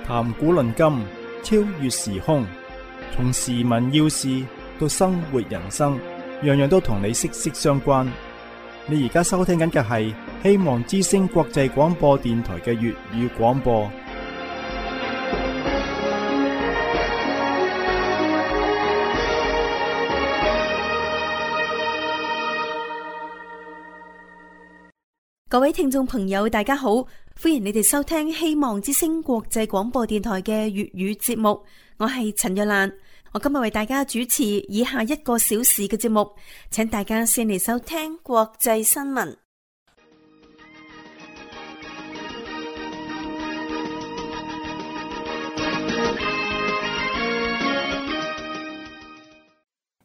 談古論今，超越時空，從時聞要事到生活人生，樣樣都同你息息相關。你而家收聽緊嘅係希望之聲國際廣播電台嘅粵語廣播。各位聽眾朋友，大家好，歡迎你哋收聽希望之聲國際廣播電台嘅粵語節目。我係陳若蘭，我今日為大家主持以下1個小時嘅節目，請大家先嚟收聽國際新聞。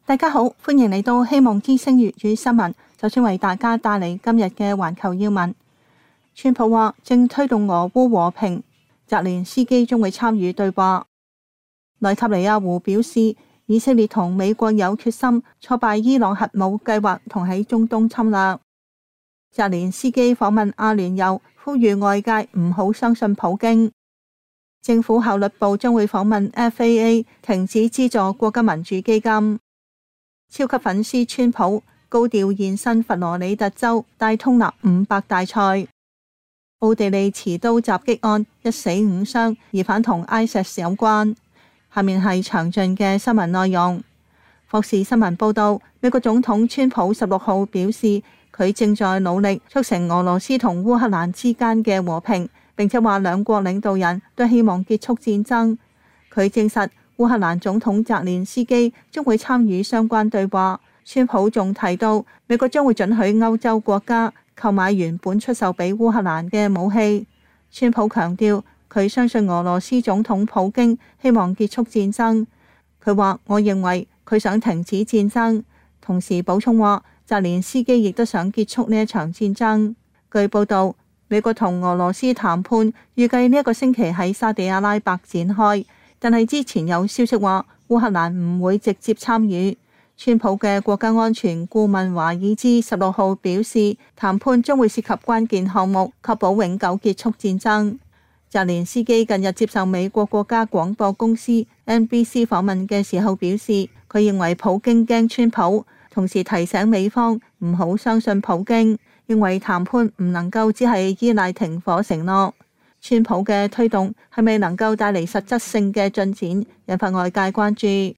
大家好，歡迎嚟到希望之聲粵語新聞。首先為大家帶嚟今日嘅環球要聞。川普話正推動俄烏和平，澤連斯基將會參與對話。內塔尼亞胡表示，以色列同美國有決心挫敗伊朗核武計劃同喺中東侵略。澤連斯基訪問阿聯酋，呼籲外界唔好相信普京。政府效率部將會訪問 FAA， 停止資助國家民主基金。超級粉絲川普高調現身佛羅里達州戴通納500大賽。奧地利持刀襲擊案1死5傷，疑犯同 ISIS 有關。下面係詳盡嘅新聞內容。霍士新聞報道，美國總統川普16號表示，佢正在努力促成俄羅斯同烏克蘭之間嘅和平，並且話兩國領導人都希望結束戰爭。佢證實烏克蘭總統澤連斯基將會參與相關對話。川普仲提到，美國將會准許歐洲國家購買原本出售俾烏克蘭嘅武器。川普強調，佢相信俄羅斯總統普京希望結束戰爭。佢話，我認為佢想停止戰爭，同時補充話，澤連斯基亦都想結束呢一場戰爭。據報道，美國同俄羅斯談判預計呢一個星期喺沙地阿拉伯展開，但係之前有消息話烏克蘭唔會直接參與。川普嘅國家安全顧問華爾茲16號表示，談判將會涉及關鍵項目，確保永久結束戰爭。澤連斯基近日接受美國國家廣播公司 NBC 訪問嘅時候表示，佢認為普京驚川普，同時提醒美方唔好相信普京，認為談判唔能夠只係依賴停火承諾。川普嘅推動係咪能夠帶嚟實質性嘅進展，引發外界關注。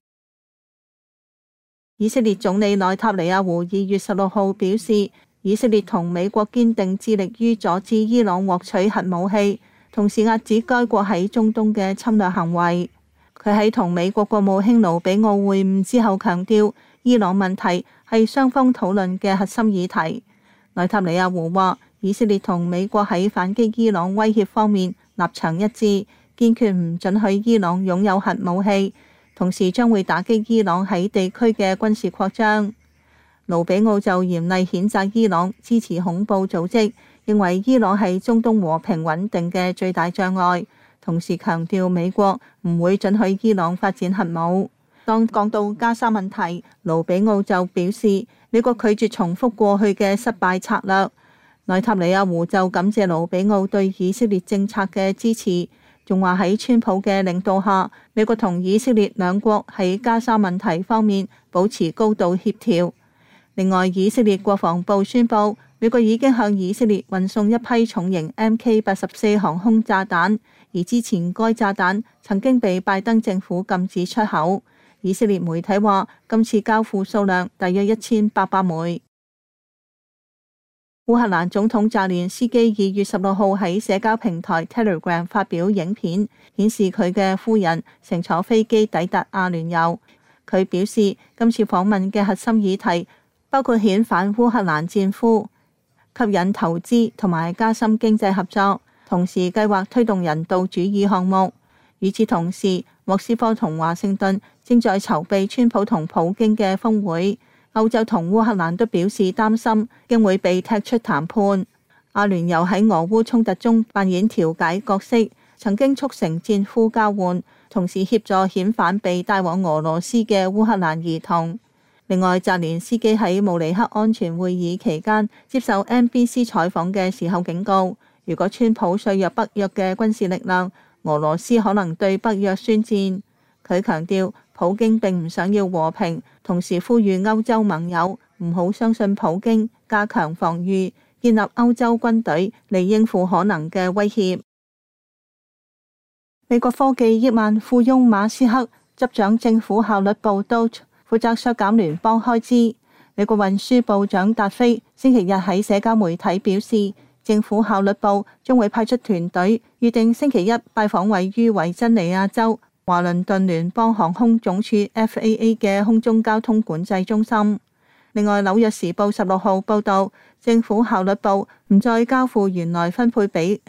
以色列總理內塔尼亞胡2月16號表示，以色列同美國堅定致力於阻止伊朗獲取核武器，同時遏止該國喺中東嘅侵略行為。佢喺同美國國務卿盧比奧會晤之後強調，伊朗問題係雙方討論嘅核心議題。內塔尼亞胡話，以色列同美國喺反擊伊朗威脅方面立場一致，堅決唔准許伊朗擁有核武器，同時將會打擊伊朗喺地區嘅軍事擴張。盧比奧就嚴厲譴責伊朗支持恐怖組織，認為伊朗係中東和平穩定嘅最大障礙，同時強調美國唔會准許伊朗發展核武。當講到加沙問題，盧比奧就表示，美國拒絕重複過去嘅失敗策略。內塔尼亞胡就感謝盧比奧對以色列政策嘅支持，仲話喺川普嘅領導下，美國同以色列兩國喺加沙問題方面保持高度協調。另外，以色列國防部宣布，美國已經向以色列運送一批重型 MK84 航空炸彈，而之前該炸彈曾經被拜登政府禁止出口。以色列媒體話，今次交付數量大約1800枚。烏克蘭總統澤連斯基2月16號喺社交平台 Telegram 發表影片，顯示佢嘅夫人乘坐飛機抵達阿聯酋。佢表示，今次訪問嘅核心議題包括遣返烏克蘭戰俘、吸引投資同埋加深經濟合作，同時計劃推動人道主義項目。與此同時，莫斯科同華盛頓正在籌備川普同普京嘅峰會。歐洲同烏克蘭都表示擔心，將會被踢出談判。阿聯酋喺俄烏衝突中扮演調解角色，曾經促成戰俘交換，同時協助遣返被帶往俄羅斯嘅烏克蘭兒童。另外，澤連斯基喺慕尼黑安全會議期間接受 NBC 採訪嘅時候警告，如果川普削弱北約嘅軍事力量，俄羅斯可能對北約宣戰。佢強調普京並唔想要和平，同時呼籲歐洲盟友唔好相信普京，加強防禦，建立歐洲軍隊嚟應付可能嘅威脅。美國科技億萬富翁馬斯克執掌政府效率部 DOGE， 負責削減聯邦開支。美國運輸部長達菲星期日喺社交媒體表示，政府效率部將會派出團隊，預定星期一拜訪位於維珍尼亞州華倫頓聯邦航空總署 FAA 嘅空中交通管制中心。另外，紐約時報16號報道，政府效率部唔再交付原來分配俾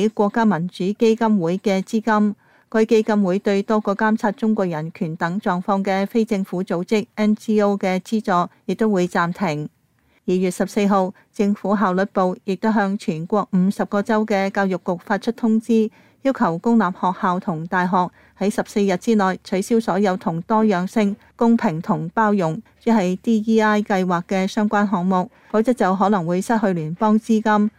國家民主基金會嘅資金。該基金會對多個監察中國人權等狀況嘅非政府組織 NGO 嘅資助亦都會暫停。2月14號，政府效率部亦都向全國50個州嘅教育局發出通知，要求公立學校同大學喺14日之內取消所有同多樣性、公平同包容，即係 DEI 計劃嘅相關項目，否則就可能會失去聯邦資金。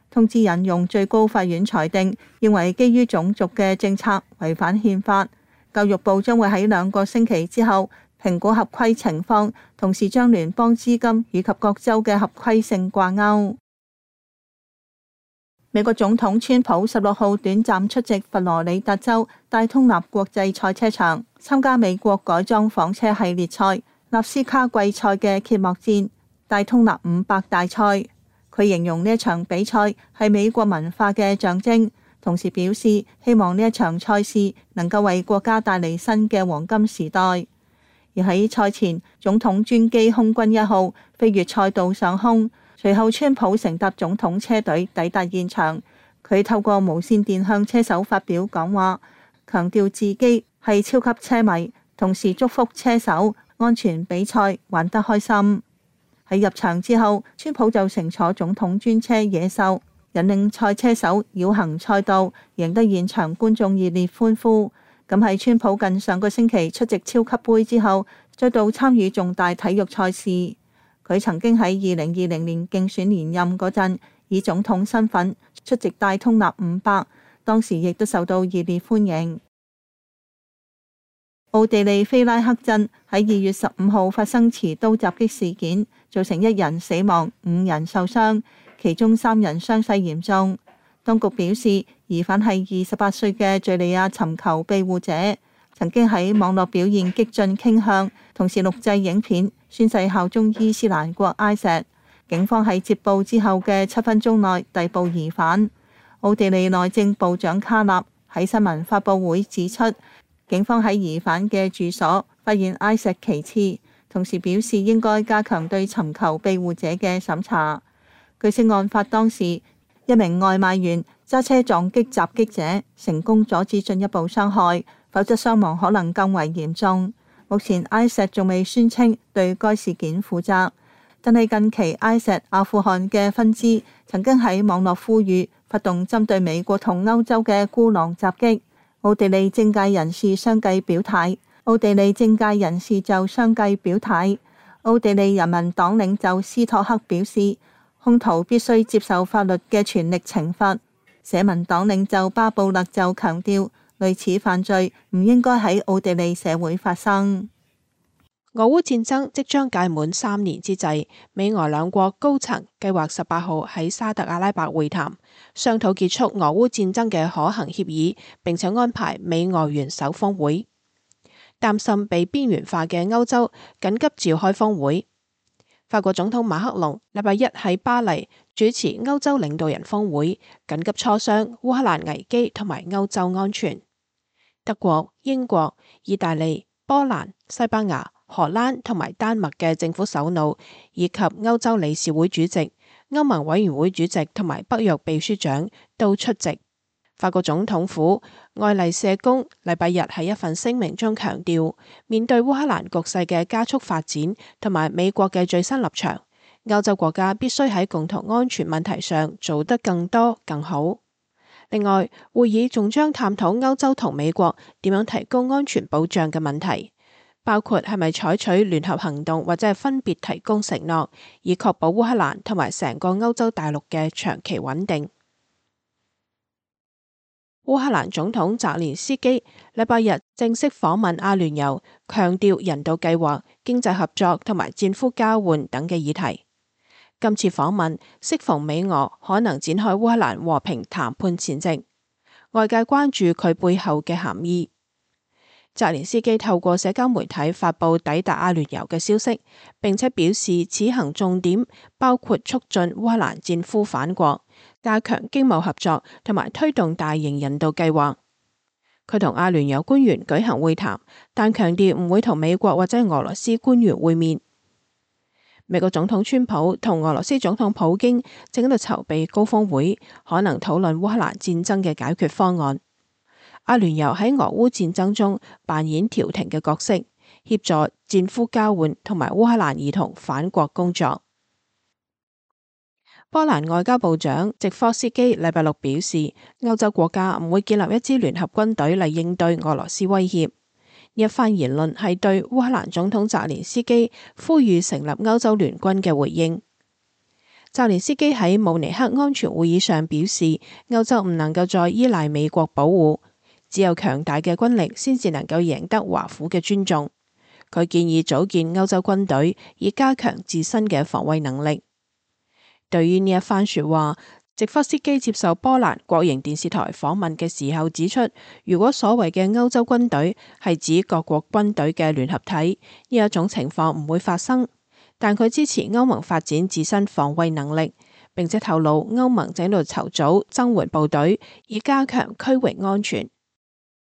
通知引用最高法院裁定，認為基於種族嘅政策違反憲法。教育部將會喺2個星期之後評估合規情況，同時將聯邦資金以及各州嘅合規性掛鈎。美國總統川普16號短暫出席佛羅里達州戴通納國際賽車場，參加美國改裝房車系列賽納斯卡季賽嘅揭幕戰戴通納500大賽。佢形容呢一場比賽係美國文化嘅象徵，同時表示希望呢一場賽事能夠為國家帶嚟新嘅黃金時代。而喺賽前，總統專機空軍1號飛越賽道上空，隨後川普乘搭總統車隊抵達現場。佢透過無線電向車手發表講話，強調自己係超級車迷，同時祝福車手安全比賽，玩得開心。喺入場之後，川普就乘坐總統專車野獸，引領賽車手繞行賽道，贏得現場觀眾熱烈歡呼。咁係川普近上個星期出席超級盃之後，再度參與重大體育賽事。佢曾經喺2020年競選連任嗰陣，以總統身份出席戴通納500，當時亦都受到熱烈歡迎。奧地利菲拉克鎮喺2月15號發生持刀襲擊事件，造成1人死亡、5人受傷，其中3人傷勢嚴重。當局表示，疑犯係28歲嘅敘利亞尋求庇護者，曾經喺網絡表現激進傾向，同時錄製影片宣誓效忠伊斯蘭國IS。警方喺接報之後嘅7分鐘內逮捕疑犯。奧地利內政部長卡納喺新聞發佈會指出，警方喺疑犯嘅住所發現IS旗幟，同時表示應該加強對尋求庇護者嘅審查。據悉案發當時，一名外賣員揸車撞擊襲擊者，成功阻止進一步傷害，否則傷亡可能更為嚴重。目前 IS 仲未宣稱對該事件負責，但係近期 IS 阿富汗嘅分支曾經喺網絡呼籲發動針對美國同歐洲嘅孤狼襲擊。奧地利政界人士相繼表態，奧地利人民黨領袖斯托克表示，兇徒必須接受法律嘅全力懲罰。社民黨領袖巴布勒就強調，類似犯罪唔應該喺奧地利社會發生。俄烏戰爭即將屆滿3年之際，美俄兩國高層計劃18號喺沙特阿拉伯會談，商討結束俄烏戰爭嘅可行協議，並且安排美俄元首峰會。擔心被邊緣化嘅歐洲緊急召開峰會。法國總統馬克龍禮拜一喺巴黎主持歐洲領導人峰會，緊急磋商烏克蘭危機同埋歐洲安全。德國、英國、意大利、波蘭、西班牙、荷蘭同埋丹麥嘅政府首腦，以及歐洲理事會主席、歐盟委員會主席同埋北約秘書長都出席。法國總統府愛麗舍宮禮拜日喺一份聲明中強調，面對烏克蘭局勢嘅加速發展同埋美國嘅最新立場，歐洲國家必須喺共同安全問題上做得更多更好。另外，會議仲將探討歐洲同美國點樣提高安全保障嘅問題，包括係咪採取聯合行動或者係分別提供承諾，以確保烏克蘭同埋成個歐洲大陸嘅長期穩定。烏克蘭總統澤連斯基禮拜日正式訪問阿聯酋，強調人道計劃、經濟合作同埋戰俘交換等嘅議題。今次訪問適逢美俄可能展開烏克蘭和平談判前夕，外界關注佢背後嘅含義。澤連斯基透過社交媒體發布抵達阿聯酋嘅消息，並且表示此行重點包括促進烏克蘭戰俘返國、加強經貿合作同埋推動大型人道計劃。佢同阿聯酋官員舉行會談，但強調唔會同美國或者俄羅斯官員會面。美國總統川普同俄羅斯總統普京正喺度籌備高峰會，可能討論烏克蘭戰爭嘅解決方案。阿聯酋喺俄烏戰爭中扮演調停嘅角色，協助戰俘交換同埋烏克蘭兒童返國工作。波蘭外交部長席科斯基禮拜六表示，歐洲國家唔會建立一支聯合軍隊嚟應對俄羅斯威脅。呢一番言論係對烏克蘭總統澤連斯基呼籲成立歐洲聯軍嘅回應。澤連斯基喺慕尼黑安全會議上表示，歐洲唔能夠再依賴美國保護，只有強大嘅軍力先至能夠贏得華府嘅尊重。佢建議組建歐洲軍隊，以加強自身嘅防衛能力。對於呢一番說話，席科斯基接受波蘭國營電視台訪問嘅時候指出，如果所謂嘅歐洲軍隊係指各國軍隊嘅聯合體，呢一種情況唔會發生。但佢支持歐盟發展自身防衛能力，並且透露歐盟正喺度籌組增援部隊，以加強區域安全。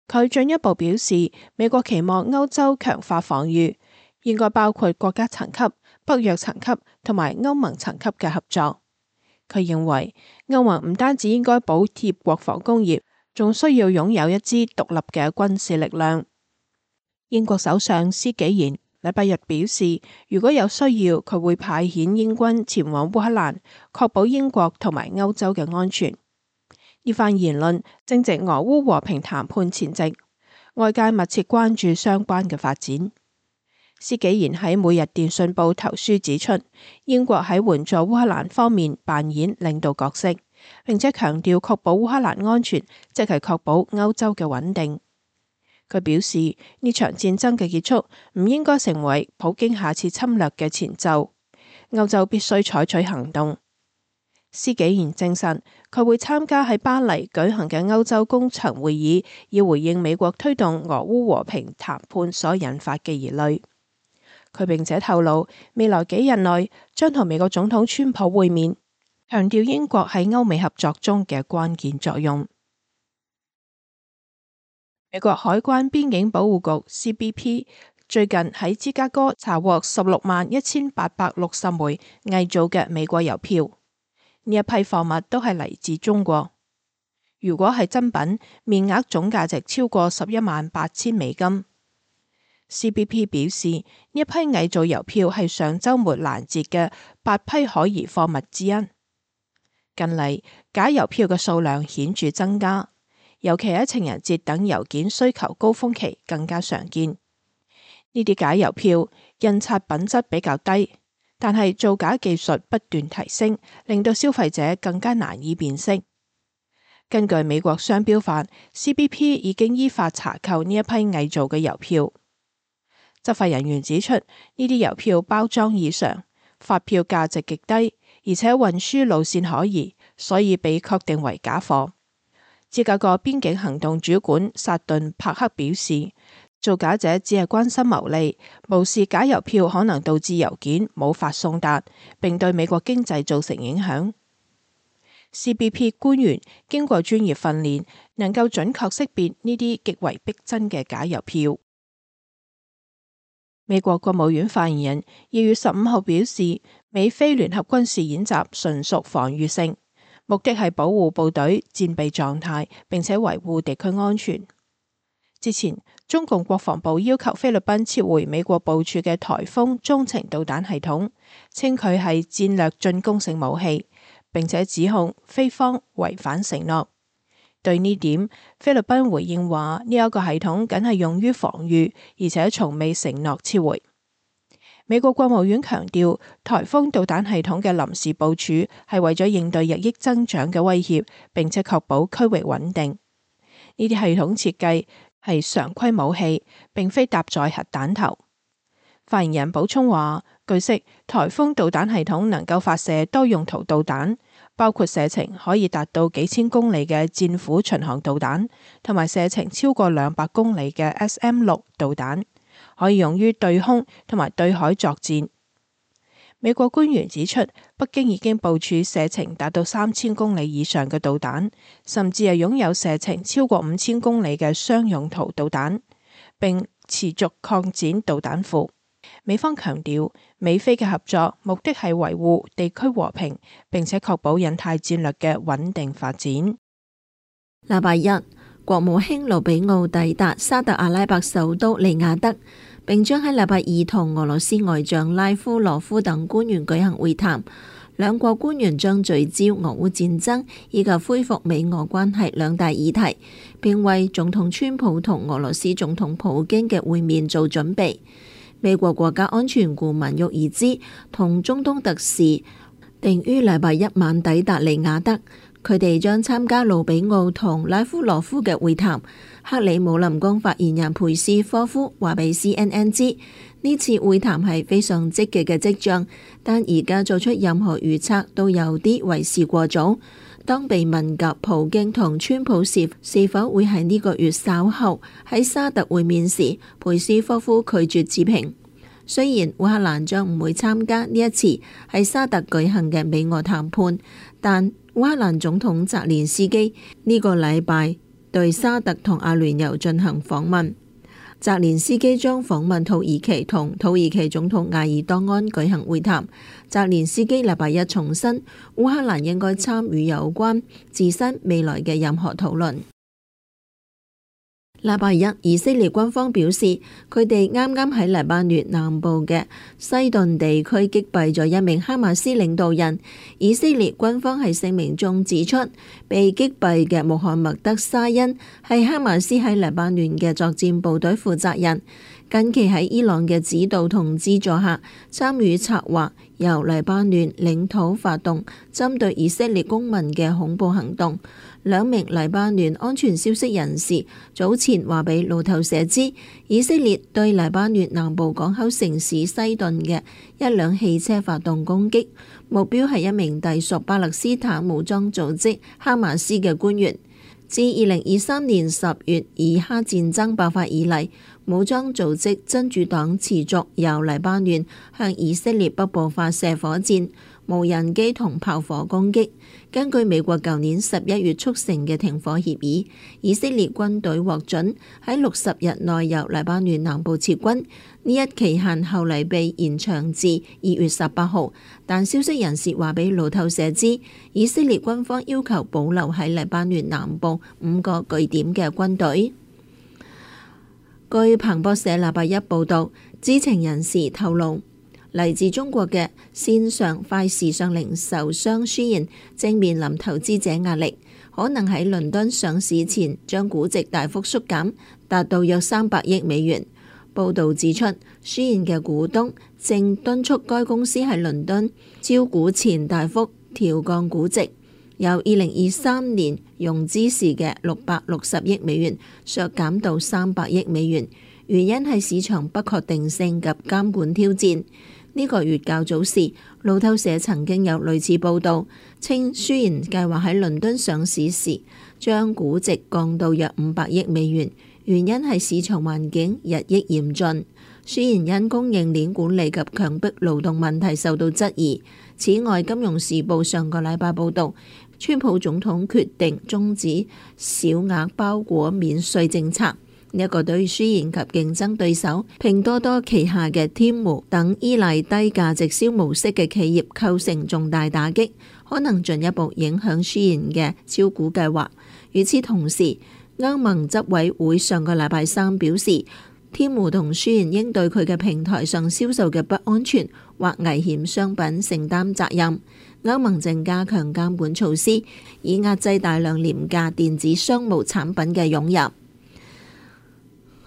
佢進一步表示，美國期望歐洲強化防禦，應該包括國家層級、北約層級同埋歐盟層級嘅合作。佢認為歐盟唔單止應該補貼國防工業，仲需要擁有一支獨立嘅軍事力量。英國首相施紀賢禮拜日表示，如果有需要，佢會派遣英軍前往烏克蘭，確保英國同埋歐洲嘅安全。呢番言論正值俄烏和平談判前夕，外界密切關注相關嘅發展。施紀賢喺每日電訊報投書指出，英國喺援助烏克蘭方面扮演領導角色，並且強調確保烏克蘭安全，即係確保歐洲嘅穩定。佢表示，呢場戰爭嘅結束唔應該成為普京下次侵略嘅前奏，歐洲必須採取行動。施紀賢證實，佢會參加喺巴黎舉行嘅歐洲高層會議，以回應美國推動俄烏和平談判所引發嘅疑慮。佢並且透露，未來幾日內將同美國總統川普會面，強調英國喺歐美合作中嘅關鍵作用。美國海關邊境保護局 CBP 最近喺芝加哥查獲161860枚偽造嘅美國郵票，呢一批貨物都係嚟自中國。如果係真品，面額總價值超過118000美金。CBP 表示，呢一批偽造郵票係上週末攔截嘅8批可疑貨物之一。近嚟假郵票嘅數量顯著增加，尤其喺情人節等郵件需求高峰期更加常見。呢啲假郵票印刷品質比較低，但係造假技術不斷提升，令到消費者更加難以辨識。根據美國商標法， CBP 已經依法查扣呢一批偽造嘅郵票。執法人員指出，呢啲郵票包裝異常，發票價值極低，而且運輸路線可疑，所以被確定為假貨。芝加哥邊境行動主管薩頓帕克表示，造假者只係關心牟利，無視假郵票可能導致郵件無法送達，並對美國經濟造成影響。CBP 官員經過專業訓練，能夠準確識別呢啲極為逼真嘅假郵票。美國國務院發言人2月15號表示，美菲聯合軍事演習純屬防禦性，目的係保護部隊戰備狀態，並且維護地區安全。之前，中共國防部要求菲律賓撤回美國部署嘅颱風中程導彈系統，稱佢係戰略進攻性武器，並且指控菲方違反承諾。對呢點，菲律賓回應話呢一個系統僅係用於防禦，而且從未承諾撤回。美國國務院強調，颱風導彈系統嘅臨時部署係為咗應對日益增長嘅威脅，並且確保區域穩定。呢啲系統設計係常規武器，並非搭載核彈頭。發言人補充話，據悉，颱風導彈系統能夠發射多用途導彈，包括射程可以達到幾千公里嘅戰斧巡航導彈，同埋射程超過200公里嘅 SM-6導彈，可以用於對空同埋對海作戰。美國官員指出，北京已經部署射程達到3000公里以上嘅導彈，甚至係擁有射程超過5000公里嘅雙用途導彈，並持續擴展導彈庫。美方強調，美菲嘅合作目的係維護地區和平，並且確保印太戰略嘅穩定發展。禮拜一，國務卿盧比奧抵達沙特阿拉伯首都利雅得，並將喺禮拜二同俄羅斯外長拉夫羅夫等官員舉行會談。兩國官員將聚焦俄烏戰爭以及恢復美俄關係兩大議題，並為總統川普同俄羅斯總統普京嘅會面做準備。美國國家安全顧問沃爾茲同中東特使定於禮拜一晚抵達利雅得，佢哋將參加盧比奧同拉夫羅夫嘅會談。克里姆林宮發言人佩斯科夫話俾 CNN 知，呢次會談係非常積極嘅跡象，但而家做出任何預測都有啲為時過早。當被問及普京同川普是否會喺呢個月稍後喺沙特會面時，佩斯科夫拒絕置評。雖然烏克蘭將唔會參加呢一次喺沙特舉行嘅美俄談判，但烏克蘭總統澤連斯基呢個禮拜對沙特同阿聯酋進行訪問。澤連斯基將訪問土耳其，同土耳其總統埃爾多安舉行會談。澤連斯基禮拜一重申，烏克蘭應該參與有關自身未來嘅任何討論。禮拜一，以色列軍方表示，佢哋啱啱喺黎巴嫩南部嘅西頓地區擊斃咗一名哈馬斯領導人。以色列軍方喺聲明中指出，被擊斃嘅穆罕默德沙恩係哈馬斯喺黎巴嫩嘅作戰部隊負責人，近期喺伊朗嘅指導同資助下，參與策劃由黎巴嫩領土發動針對以色列公民嘅恐怖行動。兩名黎巴嫩安全消息人士早前話俾路透社知，以色列對黎巴嫩南部港口城市西頓嘅一輛汽車發動攻擊，目標係一名隸屬巴勒斯坦武裝組織哈馬斯嘅官員。自2023年10月以哈戰爭爆發以嚟，武裝組織真主黨持續由黎巴嫩向以色列北部發射火箭、無人機同炮火攻擊。根據美國舊年11月促成嘅停火協議，以色列軍隊獲准喺60日內由黎巴嫩南部撤軍。呢一期限後嚟被延長至2月18號，但消息人士話俾路透社知，以色列軍方要求保留喺黎巴嫩南部5個據點嘅軍隊。據彭博社禮拜一報導，知情人士透露，嚟自中國嘅線上快時尚零售商Shein正面臨投資者壓力，可能喺倫敦上市前將估值大幅縮減，達到約300億美元。報導指出，Shein嘅股東正敦促該公司喺倫敦招股前大幅調降估值，由2023年融資時嘅660億美元削減到300億美元，原因係市場不確定性及監管挑戰。呢個月較早時，路透社曾經有類似報導，稱Shein計劃喺倫敦上市時將估值降到約500億美元，原因係市場環境日益嚴峻。Shein因供應鏈管理及強迫勞動問題受到質疑。此外，《金融時報》上個禮拜報導，川普總統決定終止小額包裹免稅政策。呢一個對Shein及競爭對手拼多多旗下嘅Temu等依賴低價直銷模式嘅企業構成重大打擊，可能進一步影響Shein嘅招股計劃。與此同時，歐盟執委會上個禮拜三表示，Temu同Shein應對佢嘅平台上銷售嘅不安全或危險商品承擔責任。歐盟正加強監管措施，以壓制大量廉價電子商務產品嘅湧入。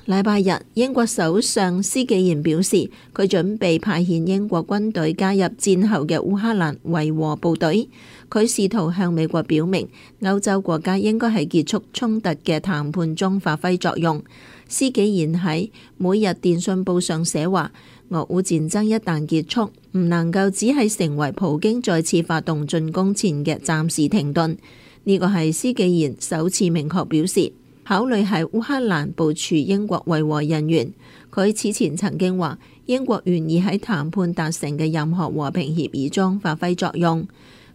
禮拜日，英國首相施紀賢表示，佢準備派遣英國軍隊加入戰後嘅烏克蘭維和部隊。佢試圖向美國表明，歐洲國家應該喺結束衝突嘅談判中發揮作用。施紀賢喺每日電訊報上寫話，俄烏戰爭一旦結束，唔能夠只係成為普京再次發動進攻前嘅暫時停頓。呢個係施紀賢首次明確表示考慮喺烏克蘭部署英國維和人員。佢此前曾經話，英國願意喺談判達成嘅任何和平協議中發揮作用。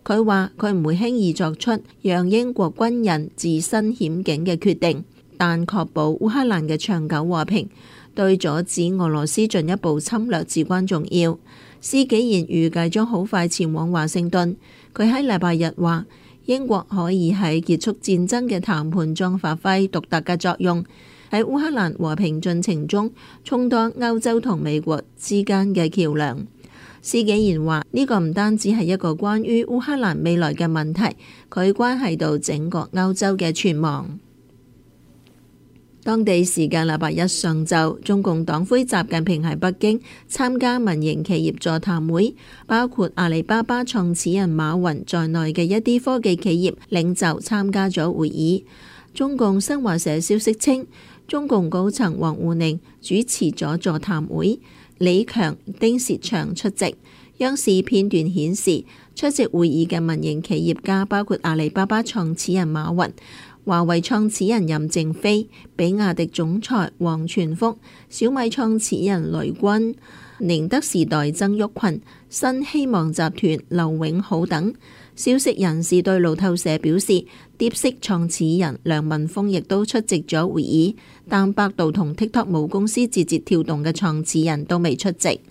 佢話佢唔會輕易作出讓英國軍人置身險境嘅決定，但確保烏克蘭嘅長久和平對阻止俄羅斯進一步侵略至關重要。施紀賢預計將好快前往華盛頓。佢喺禮拜日話，英國可以喺結束戰爭嘅談判中發揮獨特嘅作用，喺烏克蘭和平進程中充當歐洲同美國之間嘅橋梁。施紀賢話，呢個唔單止係一個關於烏克蘭未來嘅問題，佢關係到整個歐洲嘅存亡。當地時間禮拜一上晝，中共黨魁習近平喺北京參加民營企業座談會，包括阿里巴巴創始人馬雲在內嘅一啲科技企業領袖參加咗會議。中共新華社消息稱，中共高層王滬寧主持咗座談會，李強、丁薛祥出席。央視片段顯示，出席會議嘅民營企業家包括阿里巴巴創始人馬雲、華為創始人任正非、比亞迪總裁王傳福、小米創始人雷軍、寧德時代曾毓群、新希望集團劉永好等。消息人士對路透社表示，DeepSeek創始人梁文峰亦都出席咗會議，但百度同 TikTok 母公司字節跳動嘅創始人都未出席。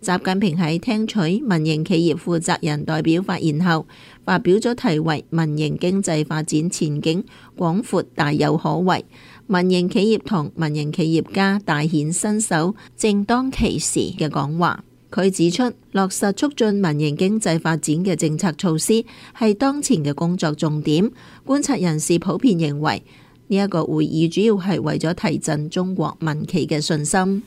習近平喺聽取民營企業負責人代表發言後，發表咗題為《民營經濟發展前景廣闊大有可為，民營企業同民營企業家大顯身手正當其時》嘅講話。佢指出，落實促進民營經濟發展嘅政策措施係當前嘅工作重點。觀察人士普遍認為，呢一個會議主要係為咗提振中國民企嘅信心。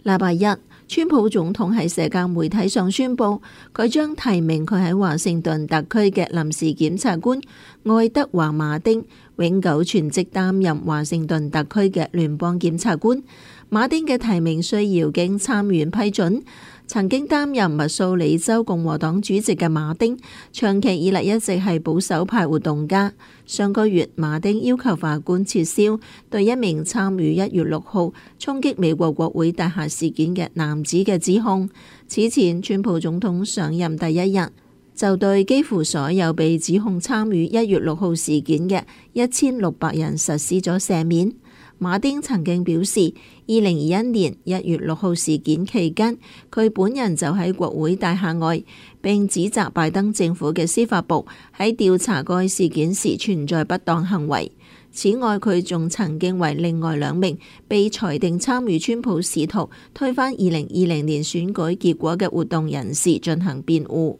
禮拜一，川普總統喺社交媒體上宣布，佢將提名佢喺華盛頓特區嘅臨時檢察官愛德華馬丁永久全職擔任華盛頓特區嘅聯邦檢察官。馬丁嘅提名需要經參院批准。曾經擔任密蘇里州共和黨主席嘅馬丁，長期以嚟一直係保守派活動家。上個月，馬丁要求法官撤銷對一名參與1月6號衝擊美國國會大廈事件嘅男子嘅指控。此前，川普總統上任第一日，就對幾乎所有被指控參與1月6號事件嘅1600人實施咗赦免。馬丁曾經表示，2021年1月6號事件期間，佢本人就喺國會大廈外，並指責拜登政府嘅司法部喺調查該事件時存在不當行為。此外，佢仲曾經為另外2名被裁定參與川普試圖推翻2020年選舉結果嘅活動人士進行辯護。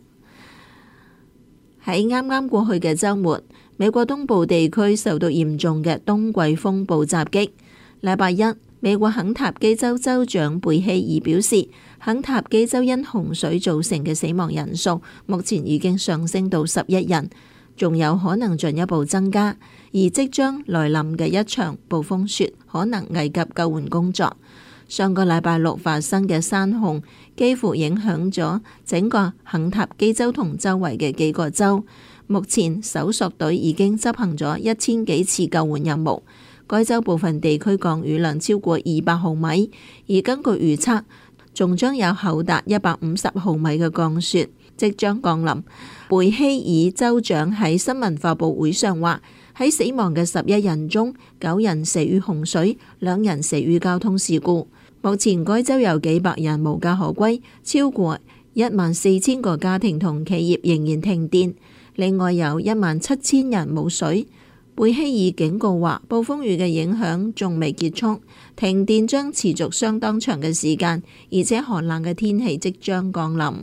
喺啱啱過去嘅週末，美國東部地區受到嚴重嘅冬季風暴襲擊。禮拜一，美國肯塔基州州長貝希爾表示，肯塔基州因洪水造成嘅死亡人數目前已經上升到11人，仲有可能進一步增加。而即將來臨嘅一場暴風雪可能危及救援工作。上個禮拜6發生嘅山洪幾乎影響咗整個肯塔基州同周圍嘅幾個州。目前搜索隊已經執行咗1000幾次救援任務。該州部分地區降雨量超過200毫米，而根據預測，仲將有厚達150毫米嘅降雪即將降臨。貝希爾州長喺新聞發佈會上話，喺死亡嘅11人中，9人死於洪水，2人死於交通事故。目前該州有幾百人無家可歸，超過14000個家庭同企業仍然停電，另外有17000人冇水。貝希爾警告話，暴風雨嘅影響仲未結束，停電將持續相當長嘅時間，而且寒冷嘅天氣即將降臨。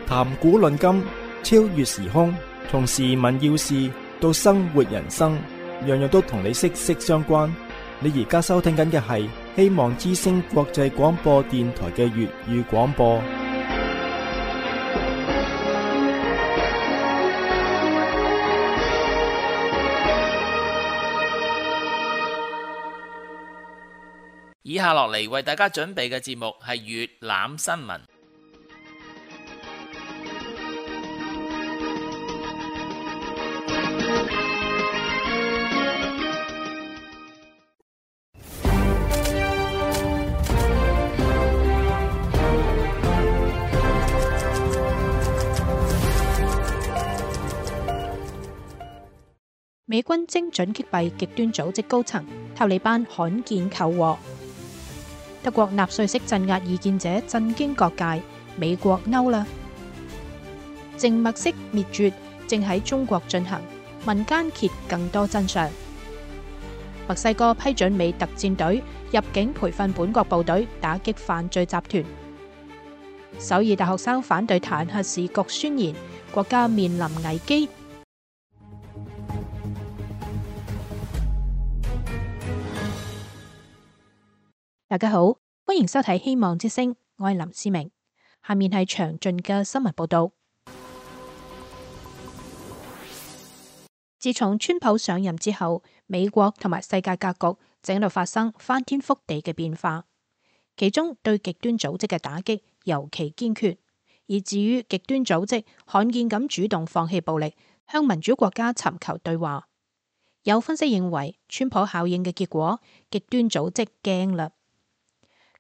談古論今，超越時空，從時聞要事到生活人生，樣樣都同你息息相關。你而家收聽緊嘅係希望之聲國際廣播電台嘅粵語廣播。以下落嚟為大家準備嘅節目係粵覽新聞。美軍精準擊斃極端組織高層，塔利班罕見求和。德國納粹式鎮壓異見者震驚各界，美國嬲啦。靜默式滅絕正喺中國進行，民間揭更多真相。墨西哥批准美特戰隊入境培訓本國部隊，打擊犯罪集團。首爾大學生反對彈劾時局宣言，國家面臨危機。大家好，歡迎收睇《希望之聲》，我係林思明。下面係詳盡嘅新聞報道。自從川普上任之後，美國同埋世界格局正喺度發生翻天覆地嘅變化，其中對極端組織嘅打擊尤其堅決，以至於極端組織罕見咁主動放棄暴力，向民主國家尋求對話。有分析認為，川普效應嘅結果，極端組織驚啦。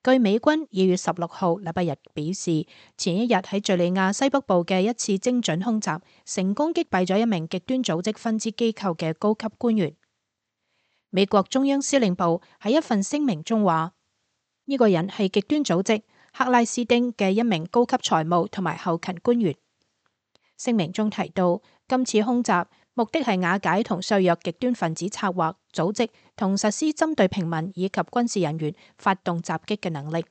據美軍2月16號禮拜日表示，前一日喺敘利亞西北部嘅一次精準空襲，成功擊斃咗一名極端組織分支機構嘅高級官員。美國中央司令部喺一份聲明中話，呢個人係極端組織克拉斯丁嘅一名高級財務同埋後勤官員。聲明中提到，今次空襲目的係瓦解同削弱極端分子策劃、組織同實施針對平民以及軍事人員發動襲擊嘅能力。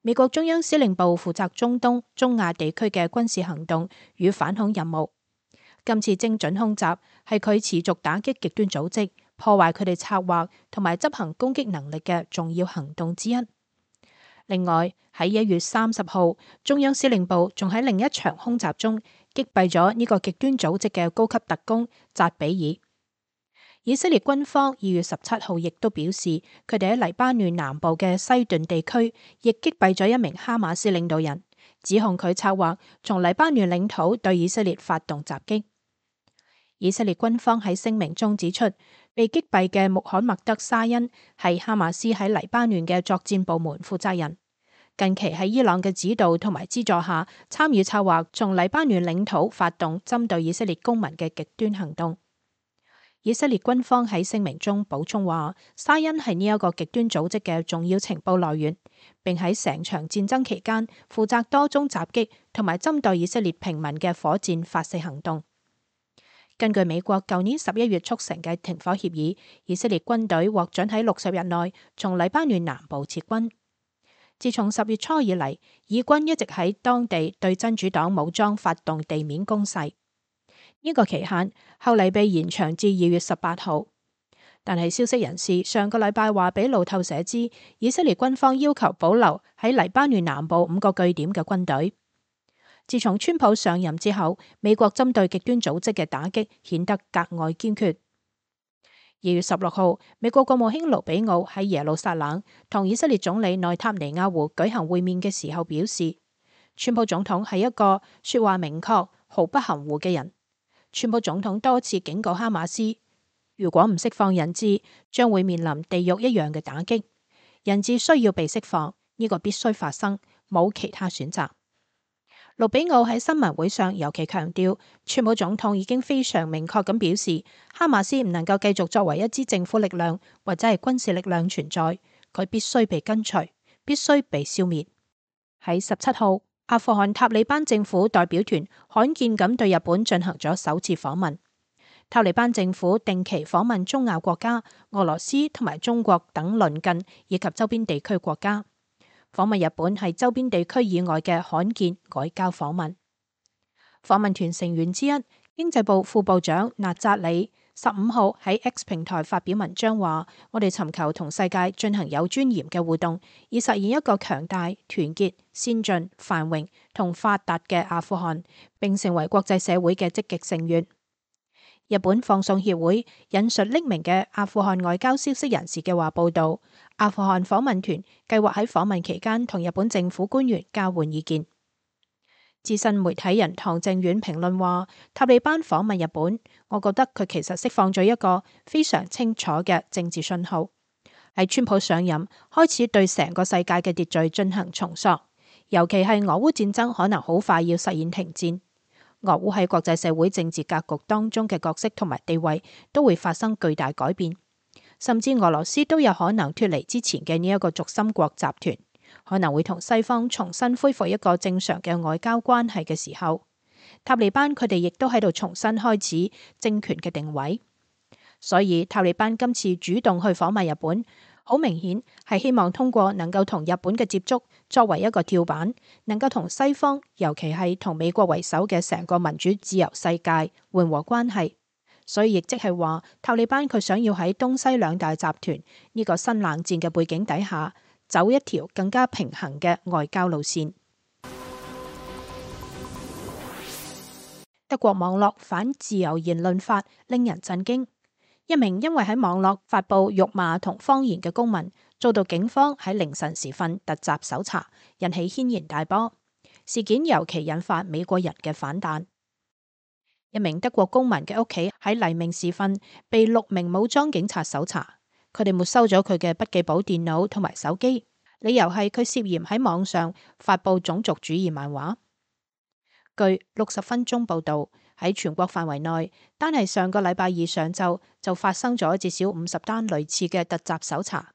美國中央司令部負責中東、中亞地區嘅軍事行動與反恐任務。今次精準空襲係佢持續打擊極端組織、破壞佢哋策劃同埋執行攻擊能力嘅重要行動之一。另外，喺1月30號，中央司令部仲喺另一場空襲中擊斃咗呢個極端組織嘅高級特工扎比爾。以色列軍方2月17號亦都表示，佢哋喺黎巴嫩南部嘅西頓地區亦擊斃咗一名哈馬斯領導人，指控佢策劃從黎巴嫩領土對以色列發動襲擊。以色列軍方喺聲明中指出，被擊斃嘅穆罕默德沙恩係哈馬斯喺黎巴嫩嘅作戰部門負責人，近期喺伊朗嘅指導同埋資助下，參與策劃從黎巴嫩領土發動針對以色列公民嘅極端行動。以色列軍方喺聲明中補充話，沙恩係呢一個極端組織嘅重要情報來源，並喺成場戰爭期間負責多宗襲擊同埋針對以色列平民嘅火箭發射行動。根據美國舊年11月促成嘅停火協議，以色列軍隊獲准喺60日內從黎巴嫩南部撤軍。自從10月初以嚟，以軍一直喺當地對真主黨武裝發動地面攻勢，呢個期限後嚟被延長至2月18號。但係消息人士上個禮拜話俾路透社知，以色列軍方要求保留喺黎巴嫩南部5個據點嘅軍隊。自從川普上任之後，美國針對極端組織嘅打擊顯得格外堅決。2月16號，美國國務卿盧比奧喺耶路撒冷同以色列總理內塔尼亞胡舉行會面嘅時候表示，川普總統係一個說話明確、毫不含糊嘅人。川普總統多次警告哈馬斯，如果唔釋放人質，將會面臨地獄一樣嘅打擊。人質需要被釋放，呢個必須發生，冇其他選擇。盧比奧喺新聞會上尤其強調，川普總統已經非常明確咁表示，哈馬斯唔能夠繼續作為一支政府力量或者係軍事力量存在，佢必須被根除，必須被消滅。喺17號，阿富汗塔利班政府代表團罕見咁對日本進行咗首次訪問。塔利班政府定期訪問中亞國家、俄羅斯同埋中國等鄰近以及周邊地區國家。訪問日本係周邊地區以外嘅罕見外交訪問。訪問團成員之一，經濟部副部長納扎里15號喺 X 平台發表文章話：我哋尋求同世界進行有尊嚴嘅互動，以實現一個強大、團結、先進、繁榮同發達嘅阿富汗，並成為國際社會嘅積極成員。日本放送協會引述匿名嘅阿富汗外交消息人士嘅話報道，阿富汗訪問團計劃喺訪問期間同日本政府官員交換意見。資深媒體人唐正遠評論話：塔利班訪問日本，我覺得佢其實釋放咗一個非常清楚嘅政治信號，喺川普上任開始對成個世界嘅秩序進行重塑，尤其係俄烏戰爭可能好快要實現停戰。俄烏喺國際社會政治格局當中嘅角色同埋地位都會發生巨大改變，甚至俄羅斯都有可能脫離之前嘅呢一個軸心國集團，可能會同西方重新恢復一個正常嘅外交關係嘅時候，塔利班佢哋亦都喺度重新開始政權嘅定位。所以塔利班今次主動去訪問日本，好明顯係希望通過能夠同日本嘅接觸作為一個跳板，能夠同西方，尤其係同美國為首嘅成個民主自由世界緩和關係。所以亦即係話，塔利班佢想要喺東西兩大集團呢個新冷戰嘅背景底下，走一條更加平衡嘅外交路線。德國網絡反自由言論法令人震驚，一名因為喺網絡發布辱罵同謊言嘅公民，遭到警方喺凌晨時分突襲搜查，引起軒然大波。事件尤其引發美國人嘅反彈。一名德國公民嘅屋企喺黎明時分被6名武裝警察搜查，佢哋沒收咗佢嘅筆記簿電腦同埋手機，理由係佢涉嫌喺網上發布種族主義漫畫。據60分鐘報道，喺全國範圍內，單係上個禮拜二上晝就發生咗至少50單類似嘅突襲搜查。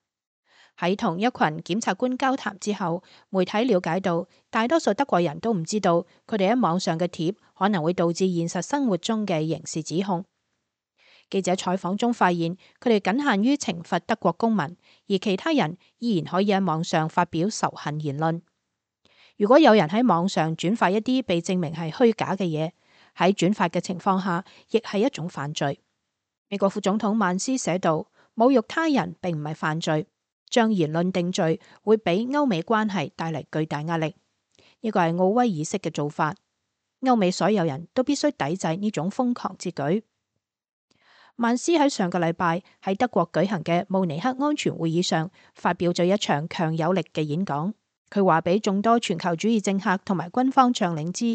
喺同一群檢察官交談之後，媒體了解到，大多數德國人都唔知道佢哋喺網上嘅貼可能會導致現實生活中嘅刑事指控。記者採訪中發現，佢哋僅限於懲罰德國公民，而其他人依然可以喺網上發表仇恨言論。如果有人喺網上轉發一啲被證明係虛假嘅嘢，喺轉發嘅情況下，亦係一種犯罪。美國副總統曼斯寫道：侮辱他人並唔係犯罪，將言論定罪會俾歐美關係帶嚟巨大壓力。呢個係奧威爾式嘅做法，歐美所有人都必須抵制呢種瘋狂之舉。曼斯喺上個禮拜喺德國舉行嘅慕尼黑安全會議上發表咗一場強有力嘅演講。佢話俾眾多全球主義政客同埋軍方將領知，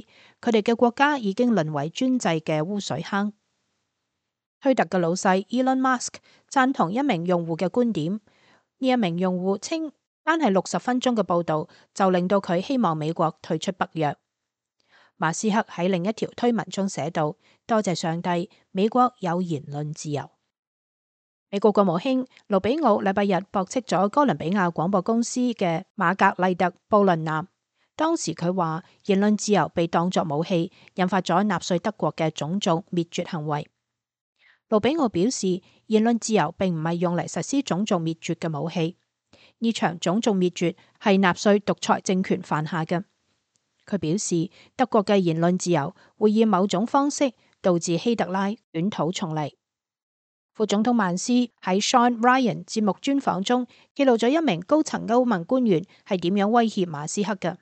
佢哋嘅國家已經淪為專制嘅污水坑。推特嘅老細 Elon Musk 贊同一名用戶嘅觀點，呢一名用戶稱，單係60分鐘嘅報道就令到佢希望美國退出北約。馬斯克喺另一條推文中寫道：多謝上帝，美國有言論自由。美國國務卿盧比奧禮拜日駁斥咗哥倫比亞廣播公司嘅瑪格麗特布倫南，當時佢話言論自由被當作武器，引發咗納粹德國嘅種族滅絕行為。盧比奧表示，言論自由並唔係用嚟實施種族滅絕嘅武器，呢場種族滅絕係納粹獨裁政權犯下嘅。佢表示，德國嘅言論自由會以某種方式導致希特拉捲土重嚟。副總統曼斯喺 Sean Ryan 節目專訪中記錄咗一名高層歐盟官員係點樣威脅馬斯克嘅。